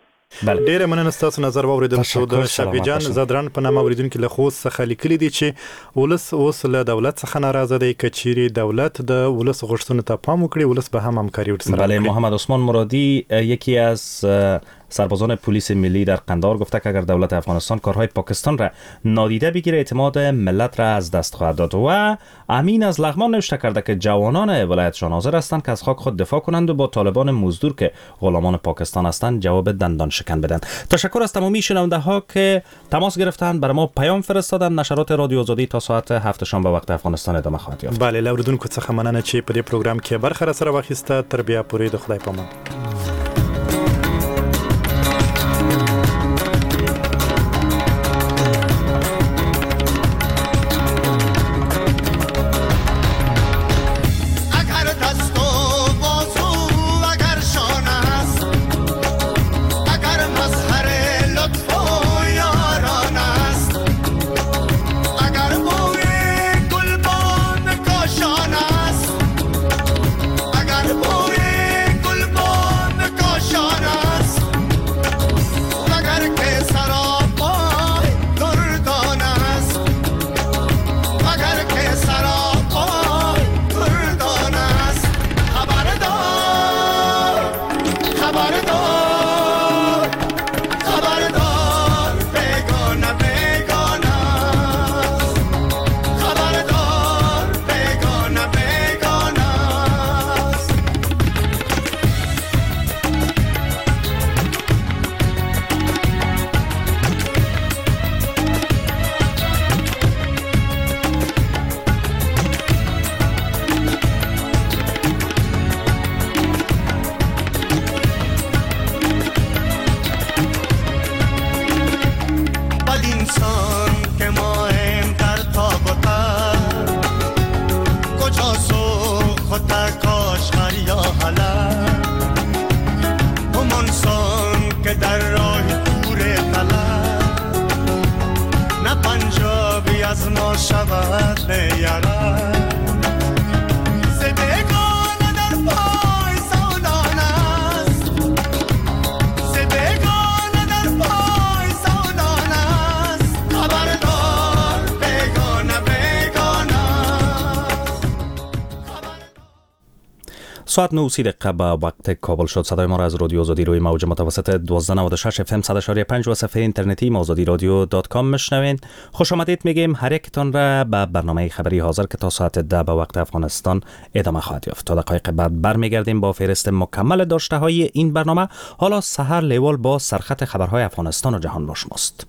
بله. ډیره مننه ستاسو نظر واوریدل شو. د شفیع جان زدران په نامه اوریدونکي له خوست څخه لیکلي دي چې ولس اوس له دولت څخه ناراضه دی، که چیرې دولت د ولس غوښتنو ته پام وکړي ولس به هم همکاري ورسره بله. وکړي. محمد عثمان مرادی یکی از سربازان پلیس ملی در قندهار گفته که اگر دولت افغانستان کارهای پاکستان را نادیده بگیره اعتماد ملت را از دست خواهد داد. و امین از لغمان نوشته کرده که جوانان ولایتشان حاضر هستند که از خاک خود دفاع کنند و با طالبان مزدور که غلامان پاکستان هستند جواب دندان شکن بدن. تشکر از تمامی شنونده ها که تماس گرفتند، برای ما پیام فرستادند. نشرات رادیو آزادی تا ساعت 7 شام به وقت افغانستان ادامه خواهد یافت. بله له اوریدونکو څخه مننه چې په دې پروګرام کې برخه را سره واخیسته. تر بیا پورې د خدای پامان. اگر بوی گلبان ساعت 9:30 به وقت کابل شد. صدای ما را از رادیو آزادی روی موج متوسط 1296 FM 100.5 و صفحه اینترنتی آزادی رادیو.com میشنوین. خوش آمدید میگیم هر یکتان را به برنامه خبری حاضر که تا ساعت 10 به وقت افغانستان ادامه خواهد یافت. تا دقایق بعد برمیگردیم با فهرست مکمل داشته های این برنامه. حالا سحر لیوال با سرخط خبرهای افغانستان و جهان با شماست.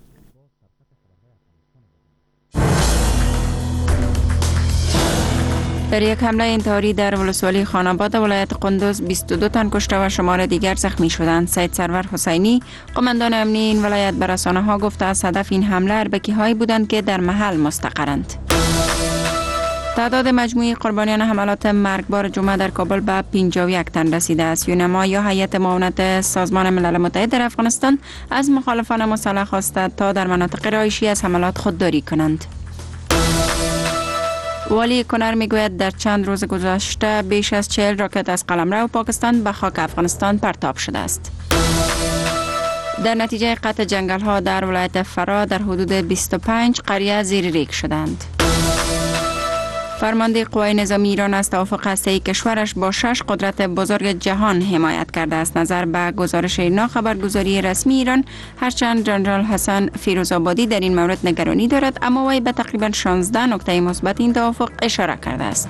در یک حمله انتحاری در ولسوالی خانآباد ولایت قندوز 22 تن کشته و شمار دیگر زخمی شدند. سید سرور حسینی، قماندان امنی این ولایت، به رسانه ها گفته از هدف این حمله اربکی هایی بودند که در محل مستقرند. تعداد مجموعی قربانیان حملات مرگبار جمعه در کابل به 51 تن رسیده است. یونما یا هیئت معاونت سازمان ملل متحد در افغانستان از مخالفان مسلح خواسته تا در مناطق رهایشی از حملات خودداری کنند. والی کنر میگوید در چند روز گذشته بیش از 40 راکت از قلمرو پاکستان به خاک افغانستان پرتاب شده است. در نتیجه قطع جنگل ها در ولایت فراه در حدود 25 قریه زیر ریگ شدند. فرمانده قوای نظامی ایران از توافق هسته‌ای کشورش با 6 قدرت بزرگ جهان حمایت کرده است. نظر به گزارش ایرنا، خبرگزاری رسمی ایران، هرچند جنرال حسن فیروزآبادی در این مورد نگرانی دارد، اما وی به تقریبا 16 نکته مثبت این توافق اشاره کرده است.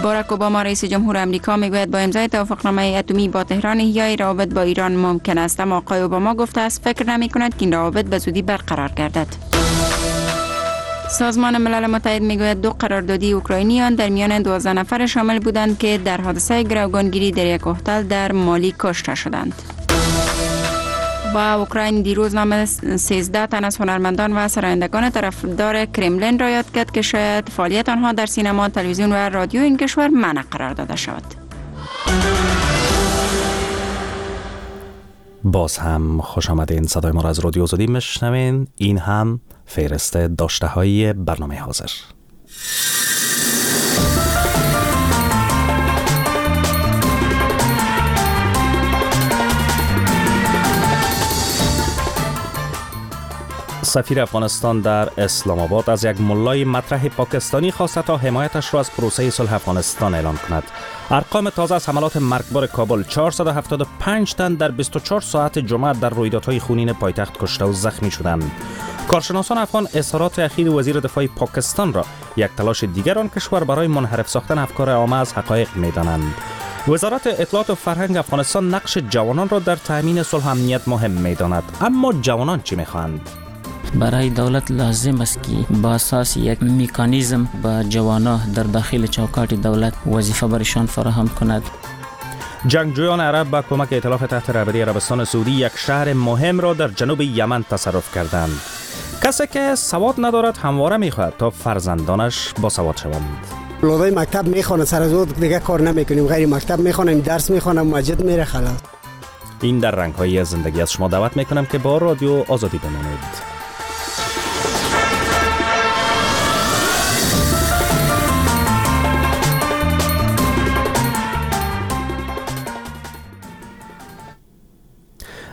باراک اوباما، رئیس جمهور امریکا، میگوید با امضای توافقنامه اتمی با تهران احیای روابط با ایران ممکن است، اما آقای اوباما گفته است فکر نمی کند که این روابط به زودی برقرار گردد. سازمان ملل متحد میگوید دو قراردادی اوکراینیان در میان 12 نفر شامل بودند که در حادثه گروگانگیری در یک هتل در مالی کشته شدند. و اوکراین دیروز نام 13 تن از هنرمندان و سرایندگان طرفدار کرملین را یاد کرد که شاید فعالیت آنها در سینما، تلویزیون و رادیو این کشور منع قرار داده شود. باز هم خوش آمدین. صدای ما را از رادیو آزادی میشنوین. این هم فهرست داشته های برنامه حاضر. سفیر افغانستان در اسلام آباد از یک ملای مطرح پاکستانی خواسته تا حمایتش را از پروسه صلح افغانستان اعلام کند. ارقام تازه از حملات مرگبار کابل: 475 تن در 24 ساعت جمعه در رویدادهای خونین پایتخت کشته و زخمی شدند. کارشناسان افغان اظهارات اخیر وزیر دفاع پاکستان را یک تلاش دیگر آن کشور برای منحرف ساختن افکار عامه از حقایق میدانند. وزارت اطلاعات و فرهنگ افغانستان نقش جوانان را در تامین صلح و امنیت مهم میداند، اما جوانان چی میخواهند؟ برای دولت لازم است که با اساس یک مکانیزم با جوانان در داخل چوکاٹ دولت وظیفه برایشان فراهم کند. جنگجویان عرب با کمک ائتلاف تحت رهبری عربستان سعودی یک شهر مهم را در جنوب یمن تصرف کردند. کسی که سواد ندارد همواره میخواهد تا فرزندانش با سواد شوند. اولادای مکتب میخوانند، سر از دیگه کار نمیکنیم، غیر مکتب میخوانیم، درس میخوانم، مسجد میره، خلاص. این در رنگ‌های زندگی. از شما دعوت میکنم که با رادیو آزادی بمانید.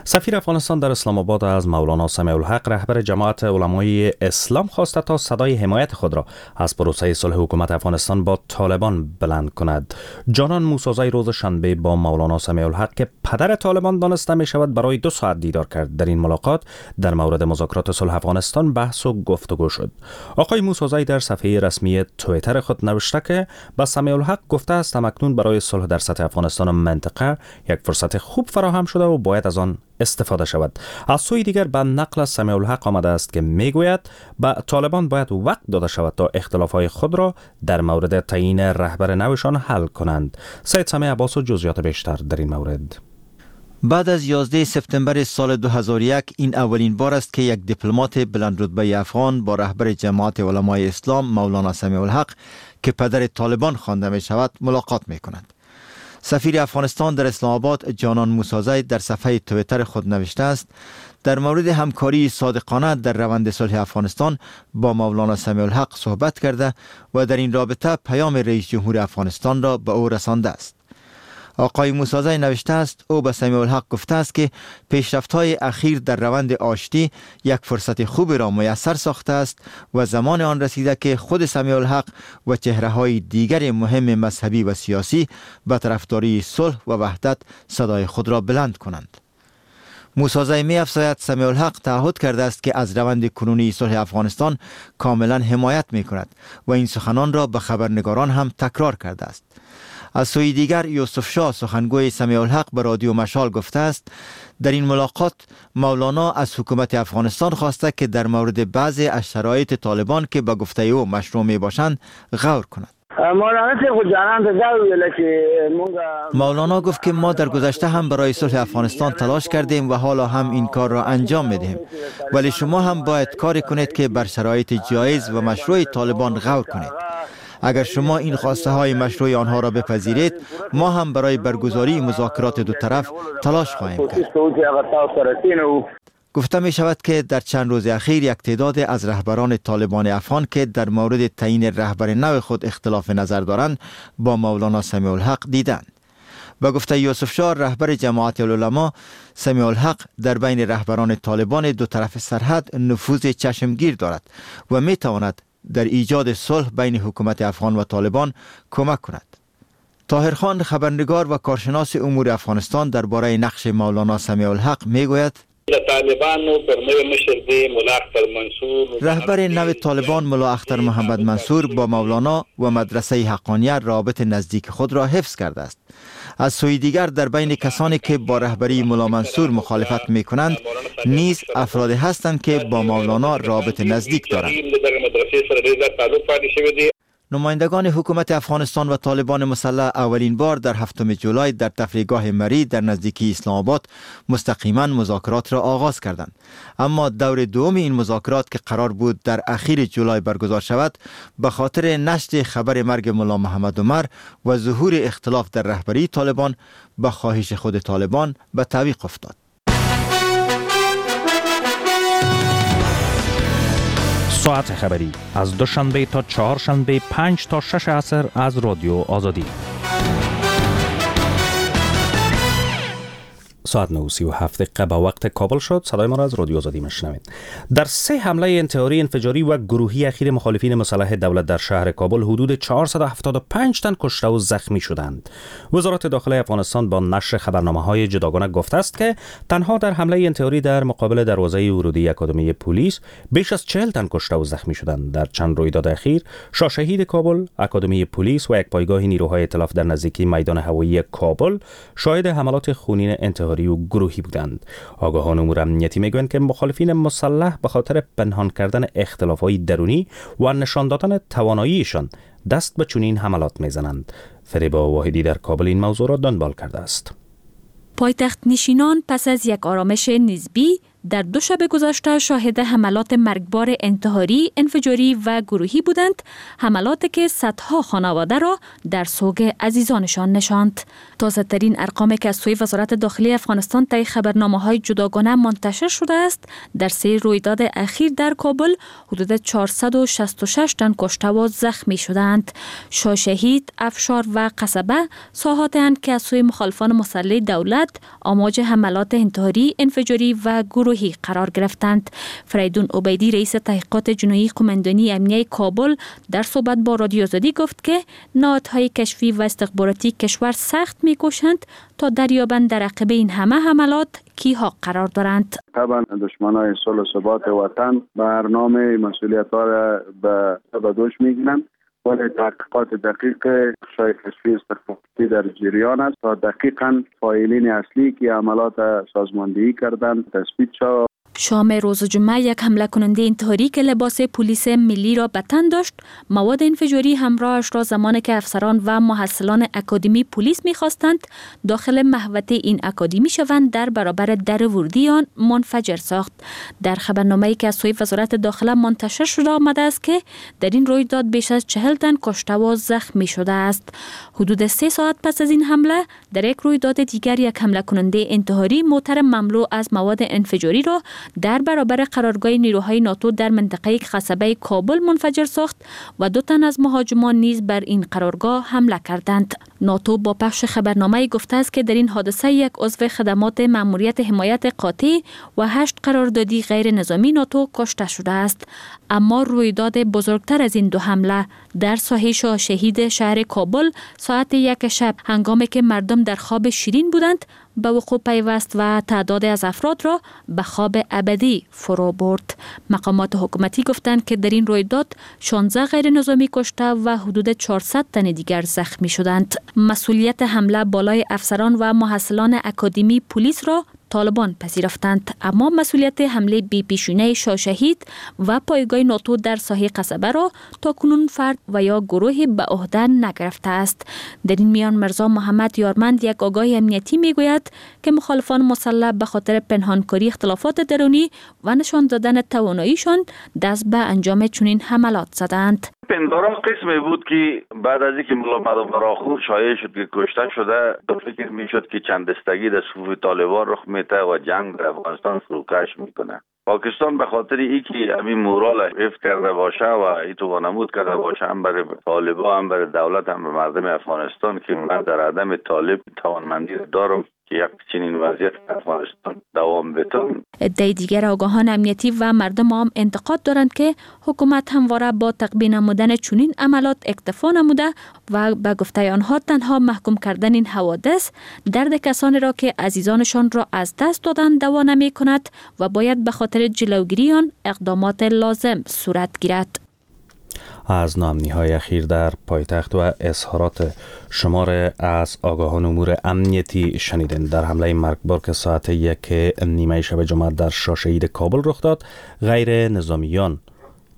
سفیر افغانستان در اسلام آباد از مولانا سمیع الحق، رهبر جماعت علمای اسلام، خواسته تا صدای حمایت خود را از پروسه صلح حکومت افغانستان با طالبان بلند کند. جانان موسازی روز شنبه با مولانا سمیع الحق که پدر طالبان دانسته می شود برای 2 ساعت دیدار کرد. در این ملاقات در مورد مذاکرات صلح افغانستان بحث و گفتگو شد. آقای موسازی در صفحه رسمی توییتر خود نوشته که به سمیع الحق گفته است اکنون برای صلح در سطح افغانستان و منطقه یک فرصت خوب فراهم شده و باید از آن استفاده شود. از سوی دیگر به نقل از سمیع الحق آمده است که میگوید به طالبان باید وقت داده شود تا اختلافهای خود را در مورد تعیین رهبر نوشان حل کنند. سید سمیع عباس و جزئیات بیشتر در این مورد. بعد از 11 سپتامبر سال 2001 این اولین بار است که یک دیپلمات بلندرتبه افغان با رهبر جماعت علمای اسلام مولانا سمیع الحق که پدر طالبان خوانده می شود ملاقات می کند. سفیر افغانستان در اسلام آباد جانان موسازی در صفحه توییتر خود نوشته است در مورد همکاری صادقانه در روند صلح افغانستان با مولانا سمیع الحق صحبت کرده و در این رابطه پیام رئیس جمهور افغانستان را به او رسانده است. آقای موسازی نوشته است او به سمیع الحق گفته است که پیشرفت‌های اخیر در روند آشتی یک فرصت خوب را میسر ساخته است و زمان آن رسیده که خود سمیع الحق و چهره‌های دیگر مهم مذهبی و سیاسی به طرفداری صلح و وحدت صدای خود را بلند کنند. موسازی می افزاید سمیع الحق تعهد کرده است که از روند کنونی صلح افغانستان کاملا حمایت می کند و این سخنان را به خبرنگاران هم تکرار کرده است. از سوی دیگر یوسف شاه سخنگوی سمیع الحق به رادیو مشال گفته است در این ملاقات مولانا از حکومت افغانستان خواسته که در مورد بعضی از شرایط طالبان که به گفته او مشروع می باشند غور کند. مولانا گفت که ما در گذشته هم برای صلح افغانستان تلاش کردیم و حالا هم این کار را انجام میدهیم، ولی شما هم باید کاری کنید که بر شرایط جایز و مشروع طالبان غور کنید. اگر شما این خواسته های مشروع آنها را بپذیرید، ما هم برای برگزاری مذاکرات دو طرف تلاش خواهیم کرد. گفته می شود که در چند روز اخیر یک تعداد از رهبران طالبان افغان که در مورد تعیین رهبر نو خود اختلاف نظر دارند با مولانا سمیع الحق دیدند. به گفته یوسف شاه رهبر جماعت العلماء، سمیع الحق در بین رهبران طالبان دو طرف سرحد نفوذ چشمگیر دارد و می تواند در ایجاد صلح بین حکومت افغان و طالبان کمک کند. طاهر خان خبرنگار و کارشناس امور افغانستان درباره نقش مولانا سمیع الحق می گوید رهبر نو طالبان ملا اختر محمد منصور با مولانا و مدرسه حقانیه رابط نزدیک خود را حفظ کرده است. از سوی دیگر در بین کسانی که با رهبری ملا منصور مخالفت می کنند نیز افرادی هستند که با مولانا رابط نزدیک دارند. نمایندگان حکومت افغانستان و طالبان مسلح اولین بار در 7 جولای در تفریحگاه مری در نزدیکی اسلام آباد مستقیما مذاکرات را آغاز کردند. اما دور دوم این مذاکرات که قرار بود در اخیر جولای برگزار شود، به خاطر نشر خبر مرگ ملا محمد عمر و ظهور اختلاف در رهبری طالبان به خواهش خود طالبان به تعویق افتاد. ساعت خبری از دوشنبه تا چهارشنبه 5 تا 6 عصر از رادیو آزادی. ساعت 9:37 به وقت کابل شد. صدای ما را از رادیو آزادی میشنوید. در 3 حمله انتحاری، انفجاری و گروهی اخیر مخالفین مسلح دولت در شهر کابل حدود 475 تن کشته و زخمی شدند. وزارت داخله افغانستان با نشر خبرنامه‌های جداگانه گفته است که تنها در حمله انتحاری در مقابل دروازه ورودی اکادمی پلیس بیش از 40 تن کشته و زخمی شدند. در چند رویداد اخیر شاه شهید کابل، اکادمی پلیس و یک پایگاه نیروهای ائتلاف در نزدیکی میدان هوایی کابل شاهد حملات خونین انتحاری و گروهی بودند. آگاهان امور امنیتی میگویند که مخالفین مسلح به خاطر پنهان کردن اختلاف‌های درونی و نشان دادن تواناییشان دست به چنین حملات میزنند. فریبا واحدی در کابل این موضوع را دنبال کرده است. پایتخت نشینان پس از یک آرامش نسبی در دو شب گذشته شاهد حملات مرگبار انتحاری، انفجاری و گروهی بودند، حملاتی که صدها خانواده را در سوگ عزیزانشان نشاند. تازه ترین ارقامی که از سوی وزارت داخلی افغانستان طی خبرنامه‌های جداگانه منتشر شده است، در سه رویداد اخیر در کابل حدود 466 تن کشته و زخمی شدند. شاه شهید، افشار و قصبه ساحات‌اند که از سوی مخالفان مسلح دولت آماج حملات انتحاری، انفجاری و گروهی قرار گرفتند. فریدون عبیدی رئیس تحقیقات جنایی قماندانی امنیه کابل در صحبت با رادیو آزادی گفت که نهادهای کشفی و استخباراتی کشور سخت میکوشند تا دریابند در عقب این همه حملات کیها قرار دارند. طبعا دشمنای صلح و ثبات وطن برنامه مسئولیت‌ها را به دوش میگیرند، ولی تحقیقات دقیق شای کشفی استخباراتی در جریان است تا دقیقاً فاعلین اصلی که عملات سازماندهی کردند تثبیت شود. شام روز جمعه یک حمله کننده انتحاری که لباس پلیس ملی را به تن داشت، مواد انفجاری همراهش را زمانی که افسران و محصلان اکادمی پلیس می‌خواستند داخل محوطه این اکادمی شوند در برابر در ورودی آن منفجر ساخت. در خبرنامه‌ای که از سوی وزارت داخله منتشر شده آمده است که در این رویداد بیش از 40 تن کشته و زخمی شده است. حدود 3 ساعت پس از این حمله در یک رویداد دیگر یک حمله کننده انتحاری موتر مملو از مواد انفجاری را در برابر قرارگاه نیروهای ناتو در منطقه قصبه کابل منفجر ساخت و 2 تن از مهاجمان نیز بر این قرارگاه حمله کردند. ناتو با پخش خبرنامه گفته است که در این حادثه یک عضو خدمات مأموریت حمایت قاطع و 8 قراردادی غیر نظامی ناتو کشته شده است. اما رویداد بزرگتر از این 2 حمله در ساحه شاه شهید شهر کابل ساعت 1 شب هنگامی که مردم در خواب شیرین بودند به وقوع پیوست و تعداد از افراد را به خواب ابدی فرو برد. مقامات حکومتی گفتند که در این رویداد 16 غیر نظامی کشته و حدود 400 تن دیگر زخمی شدند. مسئولیت حمله بالای افسران و محصلان اکادمی پلیس را طالبان پذیرفتند، اما مسئولیت حمله بی پیشینه شاه شهید و پایگاه ناتو در ساحه قصبه را تا کنون فرد و یا گروه به عهده نگرفته است. در این میان مرزا محمد یارمند، یک آگاه امنیتی، میگوید که مخالفان مسلح به خاطر پنهانکاری اختلافات درونی و نشان دادن تواناییشان دست به انجام چنین حملات زدند. پندارم قسمی بود که بعد از اینکه ملا مدام شایع شد که کشته شده، فکر میشد که چند دستگی در صفوف طالبان رخ میده و جنگ در افغانستان فروکش میکنه. پاکستان به خاطر اینکه همین مورال حفظ کرده باشه و ایتو وانمود کرده باشه، هم برای طالبان، هم برای دولت، هم به مردم افغانستان که من در عدم طالب توانمندی دارم که یک چنین وضعیت افغانستان دوام بتون. عده دیگر آگاهان امنیتی و مردم عام انتقاد دارند که حکومت همواره با تقبیح نمودن چنین عملات اکتفا نموده و به گفته آنها تنها محکوم کردن این حوادث درد کسانی را که عزیزانشان را از دست دادند دوا نمی کند و باید به خاطر جلوگیری آن اقدامات لازم صورت گیرد. از ناامنی‌های اخیر در پایتخت و اظهارات شمار از آگاهان امور امنیتی شنیدن. در حمله مرگبار که ساعت 1:30 شب جمعه در شاه شهید کابل رخ داد، غیر نظامیان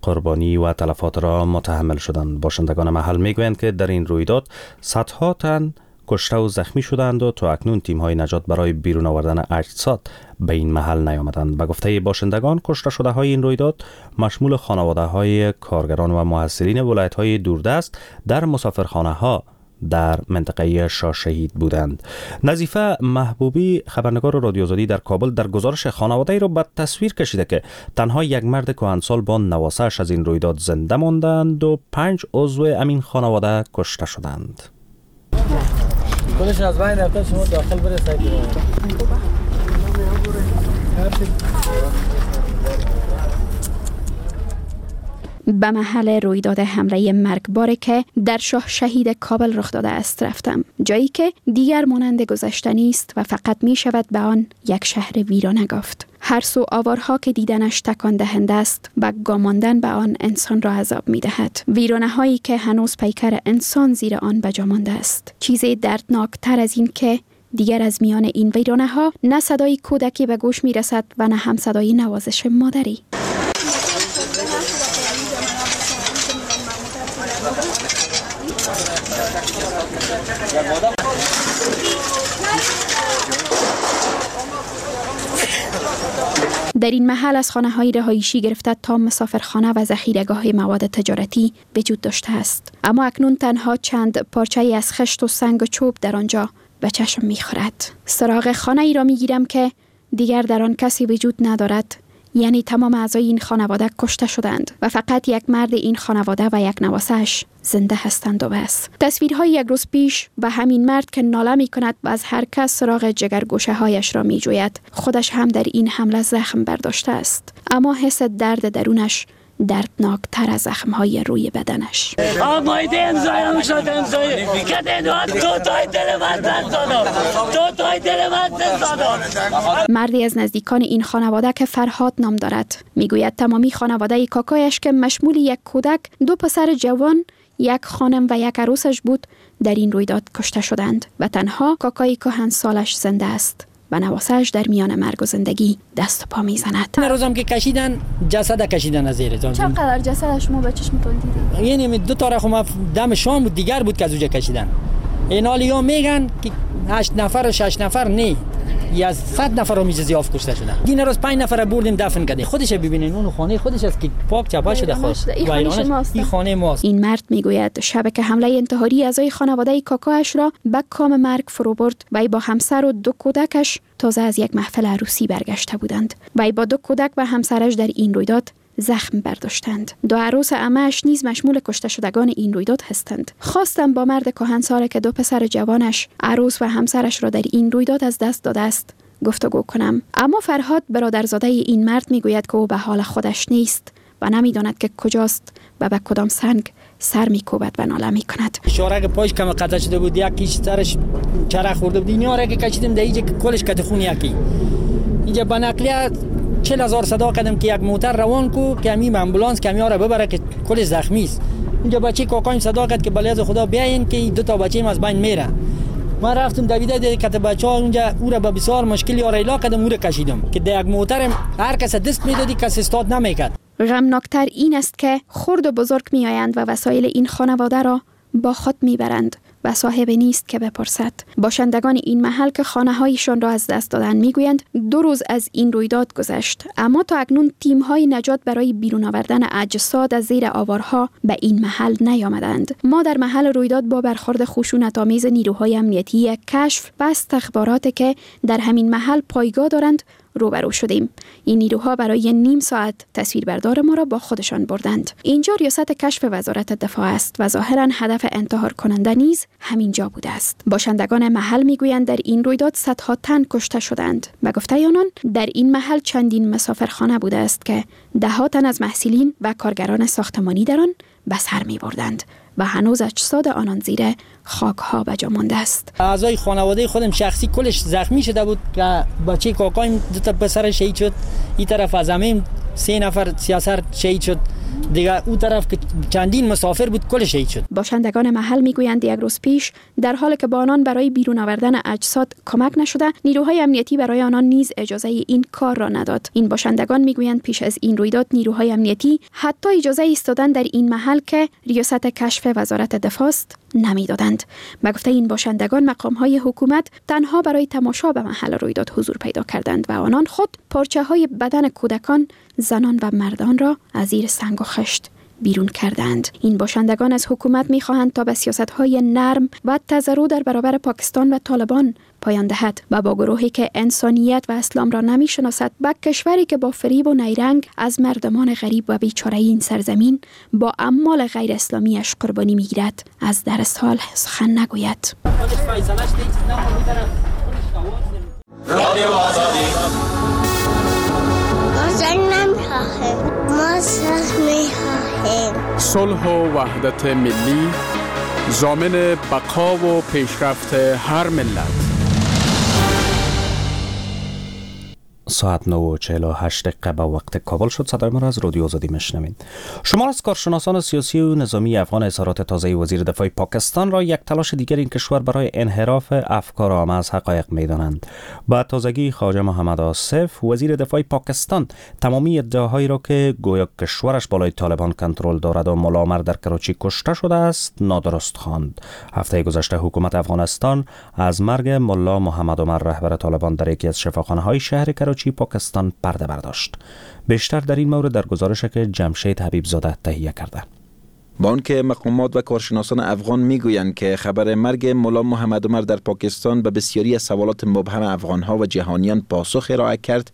قربانی و تلفات را متحمل شدند. باشندگان محل میگویند که در این رویداد صدها تن کشته و زخمی شدند و تا اکنون تیم‌های نجات برای بیرون آوردن اجساد به این محل نیامدند. به گفته باشندگان، کشته شده های این رویداد مشمول خانواده های کارگران و محصلین ولایت های دوردست در مسافرخانه ها در منطقه شاه شهید بودند. نظیفه محبوبی، خبرنگار رادیو آزادی در کابل، در گزارش خانواده ای را به تصویر کشیده که تنها یک مرد کهنسال با نواسه‌اش از این رویداد زنده ماندند و 5 عضو امین خانواده کشته شدند. خودش از بین رفته، شما داخل برسید. به محل رویداد حمله مرگبار که در شاه شهید کابل رخ داده است رفتم، جایی که دیگر مانند گذشته نیست و فقط می شود به آن یک شهر ویرانه گفت. هر سو آوارها که دیدنش تکان دهنده است و گاماندن به آن انسان را عذاب می دهد. ویرانه هایی که هنوز پیکر انسان زیر آن بجا مانده است. چیز دردناک تر از این که دیگر از میان این ویرانه ها نه صدای کودکی به گوش می رسد و نه هم صدای نوازش مادری. در این محل از خانه های رهایشی گرفته تا مسافرخانه و ذخیره‌گاه مواد تجارتی وجود داشته است. اما اکنون تنها چند پارچه از خشت و سنگ و چوب در آنجا به چشم می‌خورد. سراغ خانه ای را می‌گیرم که دیگر در آن کسی وجود ندارد. یعنی تمام اعضای این خانواده کشته شدند و فقط یک مرد این خانواده و یک نواسه‌اش زنده هستند و بس. تصویرهای یک روز پیش و همین مرد که ناله می کند و از هر کس سراغ جگرگوشه هایش را می جوید، خودش هم در این حمله زخم برداشته است، اما حس درد درونش دردناک تر از زخم های روی بدنش. مردی از نزدیکان این خانواده که فرهاد نام دارد میگوید تمامی خانواده کاکایش که مشمول یک کودک، 2 پسر جوان، یک خانم و یک عروسش بود، در این رویداد کشته شدند و تنها کاکای کهن سالش زنده است و نواسه‌اش در میان مرگ و زندگی دست و پا میزند. روزم که کشیدن جسد کشیدن از زیر. چقدر جسد شما به چشمتون دیدید؟ یعنی 2 تا رقم دم شام بود دیگر بود که از اونجا کشیدن. این حالا میگن که 8 نفر و 6 نفر نه، یا 100 نفر هم زیاف کشته شدن. دین روز 5 نفر بردیم دفن کردیم. خودش ببینین اون خانه خودش است که پاک چپا شده خود. این خانه ماست. این مرد میگوید شب که حمله انتحاری اعضای خانواده کاکاش را به کام مرگ فرو برد و با همسر و 2 کودکش تازه از یک محفل عروسی برگشته بودند. وی با 2 کودک و همسرش در این رویداد زخم برداشتند. 2 عروس عمه‌اش نیز مشمول کشته شدگان این رویداد هستند. خواستم با مرد کهنسال که 2 پسر جوانش، عروس و همسرش را در این رویداد از دست داده است گفتگو کنم. اما فرهاد برادرزاده این مرد میگوید که او به حال خودش نیست و نمیداند که کجاست و به کدام سنگ سر میکوبد و ناله میکند. اشاره پاش کم قطع شده بود، یکیش سرش چرخ خورده بود. اینا را که کشیدیم در اینجا کلش کت خون یکی. اینجا با نقلیه 40,000 صدا کردم که یک موتر روان کو که همین امبولانس که را ببره که کل زخمی است. اینجا بچه کاکایم صدا کرد که بله از خدا بیاین که 2 تا بچه‌م از بین میره. من رفتم دویده ده کت بچه‌ها اونجا او را با بسیار مشکلی آریلا کردم، او را کشیدم که در یک موتر هر کس دست میدادی کس استاد نمیکرد. غمناکتر این است که خرد و بزرگ میآیند و وسایل این خانواده را با خود میبرند و صاحب نیست که بپرسد. باشندگان این محل که خانه هایشان را از دست دادن میگویند 2 روز از این رویداد گذشت، اما تا اکنون تیم های نجات برای بیرون آوردن اجساد از زیر آوارها به این محل نیامدند. ما در محل رویداد با برخورد خشونت آمیز نیروهای امنیتی کشف و استخبارات که در همین محل پایگاه دارند روبرو شدیم. این نیروها برای نیم ساعت تصویربردار ما را با خودشان بردند. اینجا ریاست کشف وزارت دفاع است و ظاهرا هدف انتحار کننده نیز همینجا بوده است. باشندگان محل میگویند در این رویداد صدها تن کشته شدند. به گفته آنان در این محل چندین مسافرخانه بوده است که ده تن از محصلین و کارگران ساختمانی در آن به سر می‌بردند و هنوز اجساد آنان زیر خاک‌ها به جا مانده است. اعضای خانواده خودم شخصی کلش زخمی شده بود که بچه کاکایم 2 تا پسر شهید شد، این طرف از همیم 3 نفر سیاسر شهید شد، دیگه او طرف که چندین مسافر بود کل شهید شد. باشندگان محل میگویند یک روز پیش در حالی که با آنان برای بیرون آوردن اجساد کمک نشده، نیروهای امنیتی برای آنان نیز اجازه این کار را نداد. این باشندگان میگویند پیش از این رویداد نیروهای امنیتی حتی اجازه ایستادن در این محل که ریاست کشف وزارت دفاع است نمیدادند. به گفته این باشندگان مقام‌های حکومت تنها برای تماشا به محل رویداد حضور پیدا کردند و آنان خود پارچه‌های بدن کودکان، زنان و مردان را از زیر سنگ و خشت بیرون کردند. این باشندگان از حکومت می‌خواهند تا به سیاست‌های نرم و تضرع در برابر پاکستان و طالبان پایان دهد و با گروهی که انسانیت و اسلام را نمی‌شناسد، به کشوری که با فریب و نیرنگ از مردمان غریب و بیچاره این سرزمین با اعمال غیر اسلامیش قربانی می‌گیرد، از در سال سخن نگوید. رادیو آزادی. ما صلح می‌خواهیم. صلح و وحدت ملی ضامن بقا و پیشرفت هر ملت. ساعت 9:48 به وقت کابل شد. صدای ما را از رادیو آزادی میشنوید. شما از کارشناسان سیاسی و نظامی افغان اظهارات تازه وزیر دفاع پاکستان را یک تلاش دیگر این کشور برای انحراف افکار عامه از حقایق می‌دانند. با تازگی خواجه محمد آصف وزیر دفاع پاکستان تمامی ادعاهایی را که گویا کشورش بالای طالبان کنترل دارد و ملا عمر در کراچی کشته شده است نادرست خواند. هفته گذشته حکومت افغانستان از مرگ ملا محمد عمر رهبر طالبان در یکی از شفاخانه‌های شهر کراچی پاکستان پرده برداشت. بیشتر در این مورد در گزارش که جمشید حبیب زاده تهیه کرده. با آنکه مقامات و کارشناسان افغان میگویند که خبر مرگ ملا محمد عمر در پاکستان به بسیاری از سوالات مبهم افغانها و جهانیان پاسخ ارائه کرد،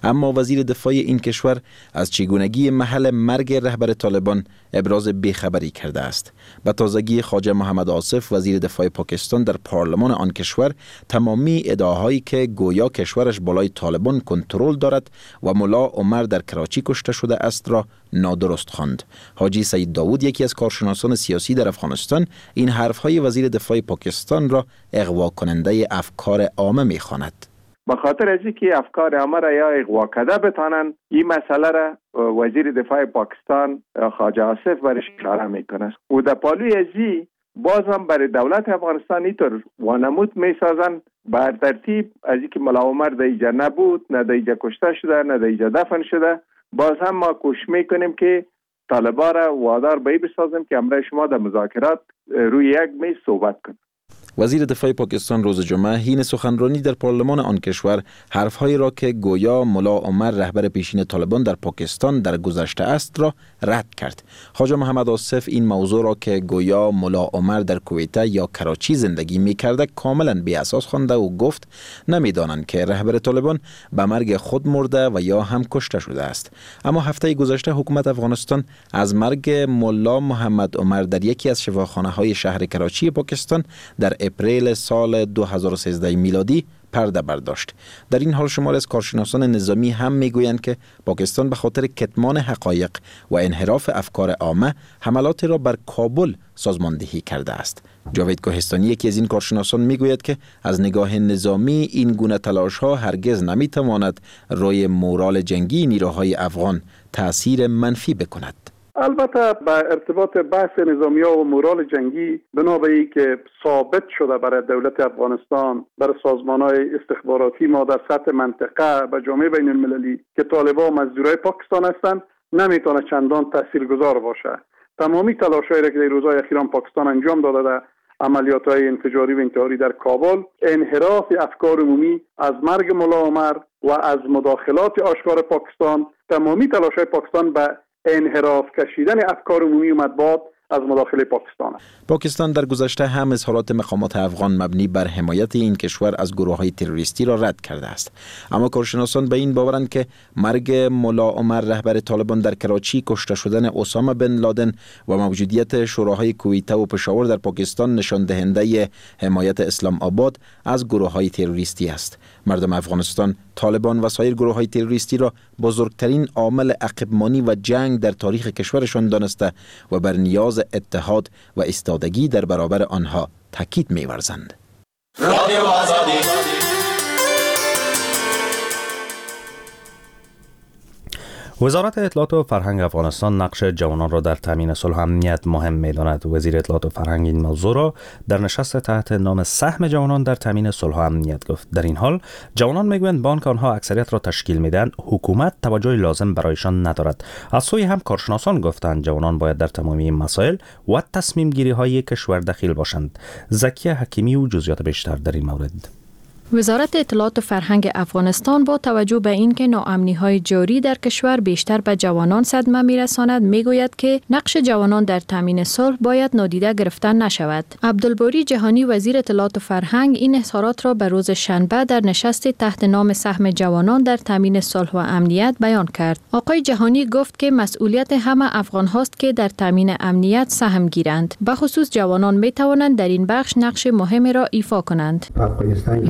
اما وزیر دفاع این کشور از چگونگی محل مرگ رهبر طالبان ابراز بیخبری کرده است. به تازگی خواجه محمد آصف وزیر دفاع پاکستان در پارلمان آن کشور تمامی ادعاهایی که گویا کشورش بالای طالبان کنترل دارد و ملا عمر در کراچی کشته شده است را نادرست خواند. حاجی سید داوود یکی از کارشناسان سیاسی در افغانستان این حرفهای وزیر دفاع پاکستان را اغوا کننده افکار عامه می‌خواند. به خاطر از اینکه افکار عامه را یا اغوا کرده بتانند، این مسئله را وزیر دفاع پاکستان خواجه آصف برش اشاره میکنه و در پالوی ازی باز هم برای دولت افغانستان اینطور وانمود میسازن بر ترتیب از اینکه ملا عمر در اینجا نبود، نه در اینجا کشته شده، نه در اینجا دفن شده، باز هم ما کوشش میکنیم که طالبان را وادار به این بسازیم که همراه شما در مذاکرات روی یک میز صحبت کنیم. وزیر دفاع پاکستان روز جمعه حین سخنرانی در پارلمان آن کشور حرفهایی را که گویا ملا عمر رهبر پیشین طالبان در پاکستان در گذشته است را رد کرد. خواجه محمد آصف این موضوع را که گویا ملا عمر در کویته یا کراچی زندگی می کرده کاملا بی اساس خوانده و گفت نمیدانند که رهبر طالبان به مرگ خود مرده و یا هم کشته شده است. اما هفته گذشته حکومت افغانستان از مرگ ملا محمد عمر در یکی از شفاخانه های شهر کراچی پاکستان در اپریل سال 2013 میلادی پرده برداشت. در این حال شمار از کارشناسان نظامی هم میگویند که پاکستان به خاطر کتمان حقایق و انحراف افکار عامه حملات را بر کابل سازماندهی کرده است. جاوید کوهستانی یکی از این کارشناسان میگوید که از نگاه نظامی این گونه تلاش ها هرگز نمیتواند روی مورال جنگی نیروهای افغان تاثیر منفی بکند. البته به ارتباط بحث نظامی ها و مورال جنگی، بنا به ای که ثابت شده برای دولت افغانستان، برای سازمان های استخباراتی ما در سطح منطقه و جامعه بین المللی که طالبان مزدورای پاکستان هستند، نمیتونه چندان تاثیرگذار باشه. تمامی تلاش‌هایی را که در روزهای اخیر پاکستان انجام داده در عملیات های انفجاری و انتحاری در کابل، انحراف افکار عمومی از مرگ ملا عمر و از مداخلات آشکار پاکستان، تمامی تلاش‌های پاکستان به انحراف کشیدن افکار عمومی و مطبوعات از مداخله پاکستان است. پاکستان در گذشته هم اظهارات مقامات افغان مبنی بر حمایت این کشور از گروه‌های تروریستی را رد کرده است. اما کارشناسان به این باورند که مرگ ملا عمر رهبر طالبان در کراچی، کشته شدن اسامه بن لادن و موجودیت شوراهای کویته و پشاور در پاکستان نشان دهنده حمایت اسلام آباد از گروه‌های تروریستی است. مردم افغانستان طالبان و سایر گروه‌های تروریستی را بزرگترین عامل عقب‌مانی و جنگ در تاریخ کشورشان دانسته و بر نیاز اتحاد و ایستادگی در برابر آنها تاکید می‌ورزند. وزارت اطلاعات و فرهنگ افغانستان نقش جوانان را در تامین صلح و امنیت مهم می‌داند. وزیر اطلاعات و فرهنگ این موضوع را در نشست تحت نام سهم جوانان در تامین صلح و امنیت گفت. در این حال جوانان میگویند بانک آنها اکثریت را تشکیل می‌دهند، حکومت توجه لازم برایشان ندارد. از سوی هم کارشناسان گفتند جوانان باید در تمامی مسائل و تصمیم گیری‌های کشور دخیل باشند. زکیه حکیمی و جزئیات بیشتر در این مورد. وزارت اطلاعات و فرهنگ افغانستان با توجه به اینکه ناامنی‌های جاری در کشور بیشتر به جوانان صدمه می‌رساند، می‌گوید که نقش جوانان در تامین صلح باید نادیده گرفته نشود. عبدالباری جهانی وزیر اطلاعات و فرهنگ این اظهارات را به روز شنبه در نشست تحت نام سهم جوانان در تامین صلح و امنیت بیان کرد. آقای جهانی گفت که مسئولیت همه افغان هاست که در تامین امنیت سهم گیرند. به خصوص جوانان می‌توانند در این بخش نقش مهمی را ایفا کنند.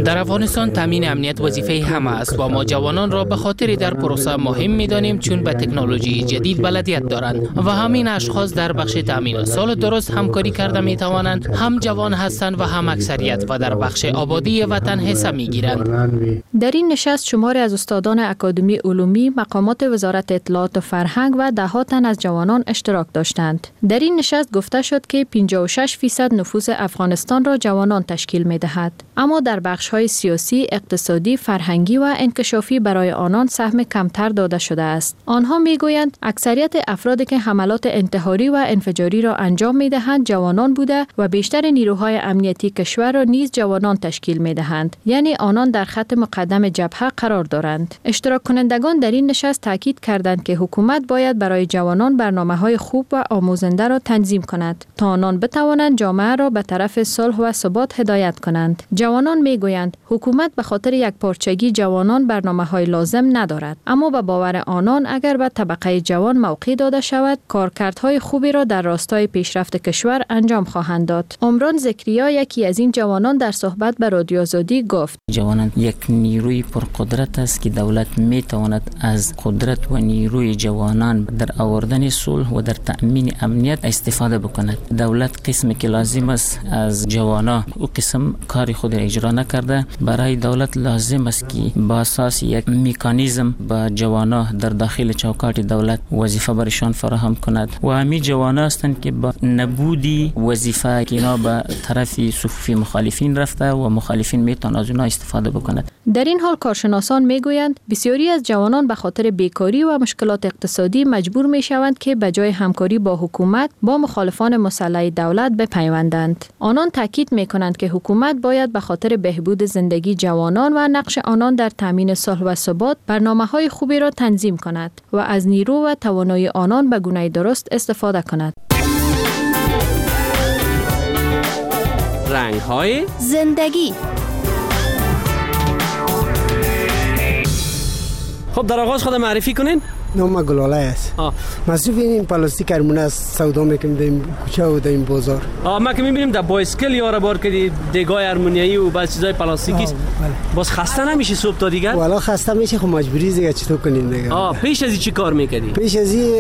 در افغانستان تامین امنیت وظیفه همه است و ما جوانان را به خاطر در پروسه مهم می‌دانیم چون به تکنولوژی جدید بلدیت دارند و همین اشخاص در بخش تامین سال درست همکاری کرده می‌توانند، هم جوان هستند و هم اکثریت و در بخش آبادی وطن حصه می‌گیرند. در این نشست شماری از استادان اکادمی علومی، مقامات وزارت اطلاعات و فرهنگ و ده‌ها تن از جوانان اشتراک داشتند. در این نشست گفته شد که 56% نفوس افغانستان را جوانان تشکیل می‌دهد، اما در بخش‌های سیاسی، اقتصادی، فرهنگی و انکشافی برای آنان سهم کمتر داده شده است. آنها میگویند اکثریت افرادی که حملات انتحاری و انفجاری را انجام میدهند جوانان بوده و بیشتر نیروهای امنیتی کشور را نیز جوانان تشکیل میدهند، یعنی آنان در خط مقدم جبهه قرار دارند. اشتراک کنندگان در این نشست تاکید کردند که حکومت باید برای جوانان برنامه‌های خوب و آموزنده را تنظیم کند تا آنان بتوانند جامعه را به طرف صلح و ثبات هدایت کنند. جوانان میگویند حکومت به خاطر یک پارچگی جوانان برنامه‌های لازم ندارد، اما به باور آنان اگر به طبقه جوان موقع داده شود، کارکردهای خوبی را در راستای پیشرفت کشور انجام خواهند داد. عمران زکریا یکی از این جوانان در صحبت به رادیو آزادی گفت: جوانان یک نیروی پرقدرت است که دولت میتواند از قدرت و نیروی جوانان در آوردن صلح و در تأمین امنیت استفاده بکند. دولت قسمی که لازم است از جوانان او قسم کار خود را اجرا نکرده. برای دولت لازم است که با اساس یک مکانیزم با جوانان در داخل چوکاٹ دولت وظیفه برشان فراهم کند و همین جوانان هستند که با نبودی وظیفه که اینا به طرف صفوف مخالفین رفته و مخالفین میتونن از اونها استفاده بکند. در این حال کارشناسان میگویند بسیاری از جوانان به خاطر بیکاری و مشکلات اقتصادی مجبور میشوند که به جای همکاری با حکومت با مخالفان مسلح دولت بپیوندند. آنان تاکید میکنند که حکومت باید به خاطر بهبود زندگی جوانان و نقش آنان در تامین صلح و ثبات برنامه‌های خوبی را تنظیم کند و از نیرو و توانایی آنان به گونه درست استفاده کند. رنگ‌های زندگی. خب در آغاز خود معرفی کنین. نام گلاله است. مصروف این پلاستیک ارمونه است، سودا میکنیم در کوچه و در این بازار. ما که میبینیم در بایسکل یارا بار کردی دیگای ارمونیایی و بعض چیزای پلاستیکی است. باز خسته نمیشی صبح تا دیگر؟ والا خسته میشه، خب مجبوری دیگه چطور کنیم دیگه. پیش از این چی کار میکردی؟ پیش از این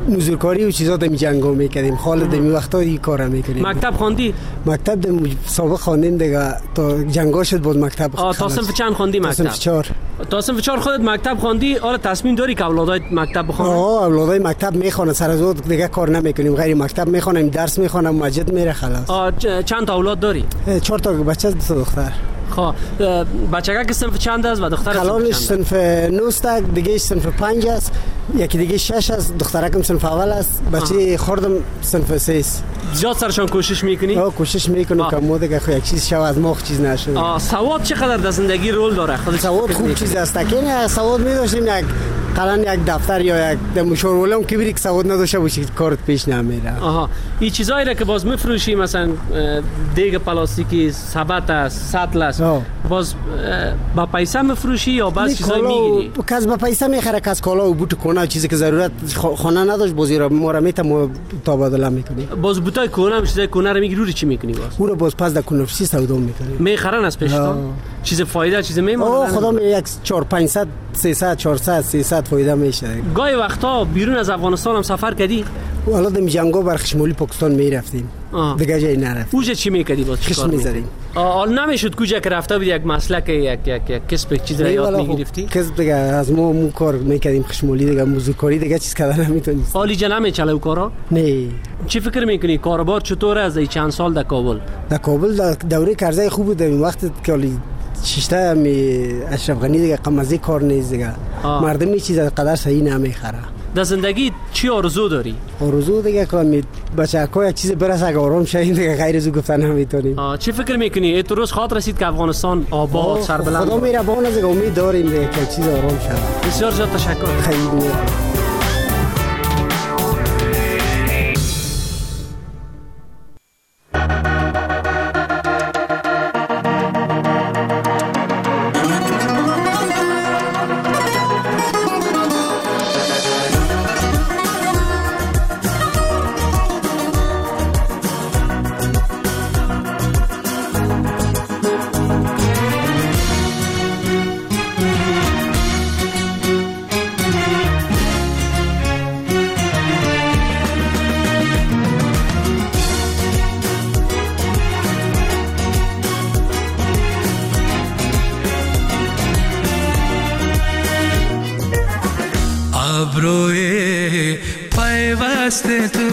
مزدورکاری و چیزا دم جنگا میکردیم. خالد دمی وقتا این کارا میکردیم. مکتب خواندی؟ مکتب دم سابق خواندیم دیگه، تا جنگا شد بود مکتب. تا صنف چند خواندی مکتب؟ تا صنف 4. تا صنف 4 خودت مکتب خواندی؟ آره تصمیم داری که اولادای مکتب بخوانن؟ اولادای مکتب میخوانن، سر از دیگه کار نمیکنیم، غیر مکتب میخوانیم، درس میخوانم، مسجد میره خلاص. چند تا اولاد داری؟ 4 تا بچه، 2 دختر. خب بچه‌ها که صنف چند است و دختر کلانش صنف 9 است، دیگه صنف 5 است، یکی دیگه 6 است، دخترکم صنف اول است، بچه خوردم صنف 3 است. زیاد سرشان کوشش میکنی؟ کوشش میکنم که ما دیگه خو یک چیز شو از ما چیز نشه. سواد چقدر در زندگی رول داره؟ خود سواد خوب چیز است که سواد می داشتیم یک قلم یک دفتر یا یک مشاورولم که بری که سواد نداشته باشی کارت پیش نمیره. این چیزایی را که باز میفروشی مثلا دیگ پلاستیکی، سبد است، سطل است، باز با پیسه میفروشی یا باز چیزایی میگیری؟ کس با پیسه میخره، کس کالا و بوت کونه چیزی که ضرورت خانه نداشت بازی را ما را میتم تبادله میکنی. باز بوتای کونه هم چیزای کونه را میگیری، رو چی میکنی باز؟ او را باز پس در کونه سودا میکنی. میخرن از پیشتون؟ چیز فایده چیز میمونه؟ خدا می یک 4 500 300 400 300 فایده میشه. گاهی وقتا بیرون از افغانستان هم سفر کردی؟ والا دم جنگا بر خشمولی پاکستان میرفتیم. دیگه جایی نرفتیم. اوجه چی میکردی باز؟ خشم می‌زدیم. حال نمیشد کجا که رفته بودی یک مسلک یک یک یک کسب چیز را یاد میگرفتی؟ کسب دیگه از ما مو کار میکردیم، خشمولی دیگه، موزیکاری دیگه چیز کردن نمیتونست. حالی جا نمیچله کارا؟ نه. چی فکر میکنی کاروبار چطور از این چند سال در کابل؟ در کابل در دوره کرزی خوب بود، این وقت که ششته می اشرف غنی دیگه قمزی کار نیست دیگه. مردم چیز قدر صحیح نمیخره. در زندگی چی آرزو داری؟ آرزو دیگه که می بچه‌ها یک چیز برسه اگه آرام شیم دیگه، غیر از او گفتن نمیتونیم. چی فکر میکنی؟ ای تو روز خاطر رسید که افغانستان آباد سربلند. خدا مهربان است، امید داریم دیگه که چیز آرام شود. بسیار زیاد تشکر. خیلی. ابروی پیوست تو،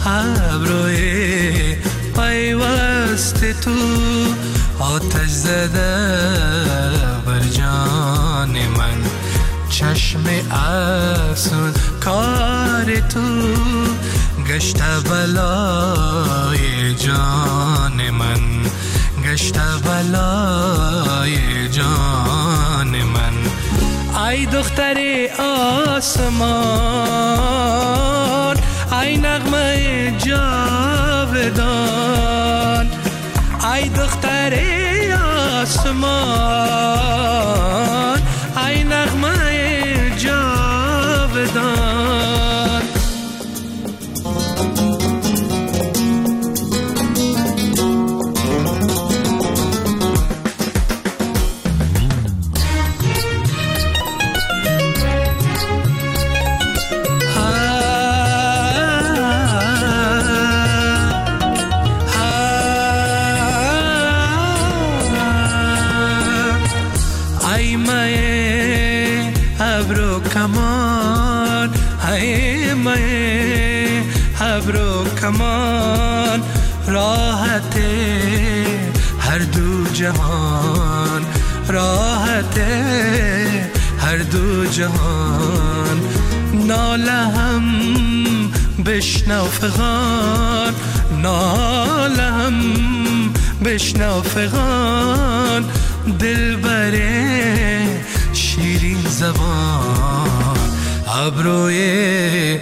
ابروی پیوست تو، آتش زده بر جان من، چشم افسون کار تو، گشت بلای جان من، گشت بلای جان من. ای دختر آسمان، ای نغمه جاودان، ای دختر آسمان، ای نغمه جاودان. کمان، ای مه ابرو کمان، راحت هر دو جهان، راحت هر دو جهان. ناله هم بشنو فغان، ناله هم بشنو فغان، دل بره شیرین زبان. ابروی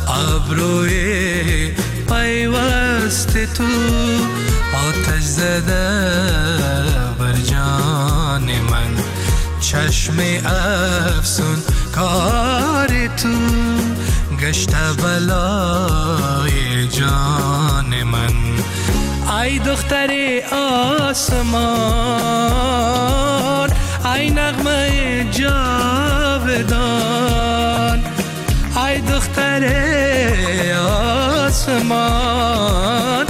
ابروی پیوست تو آتش زده بر جان من، چشم افسون کار تو گشته بلای جان من. ای دختر آسمان، ای نغمه جاودان، ای دختر آسمان،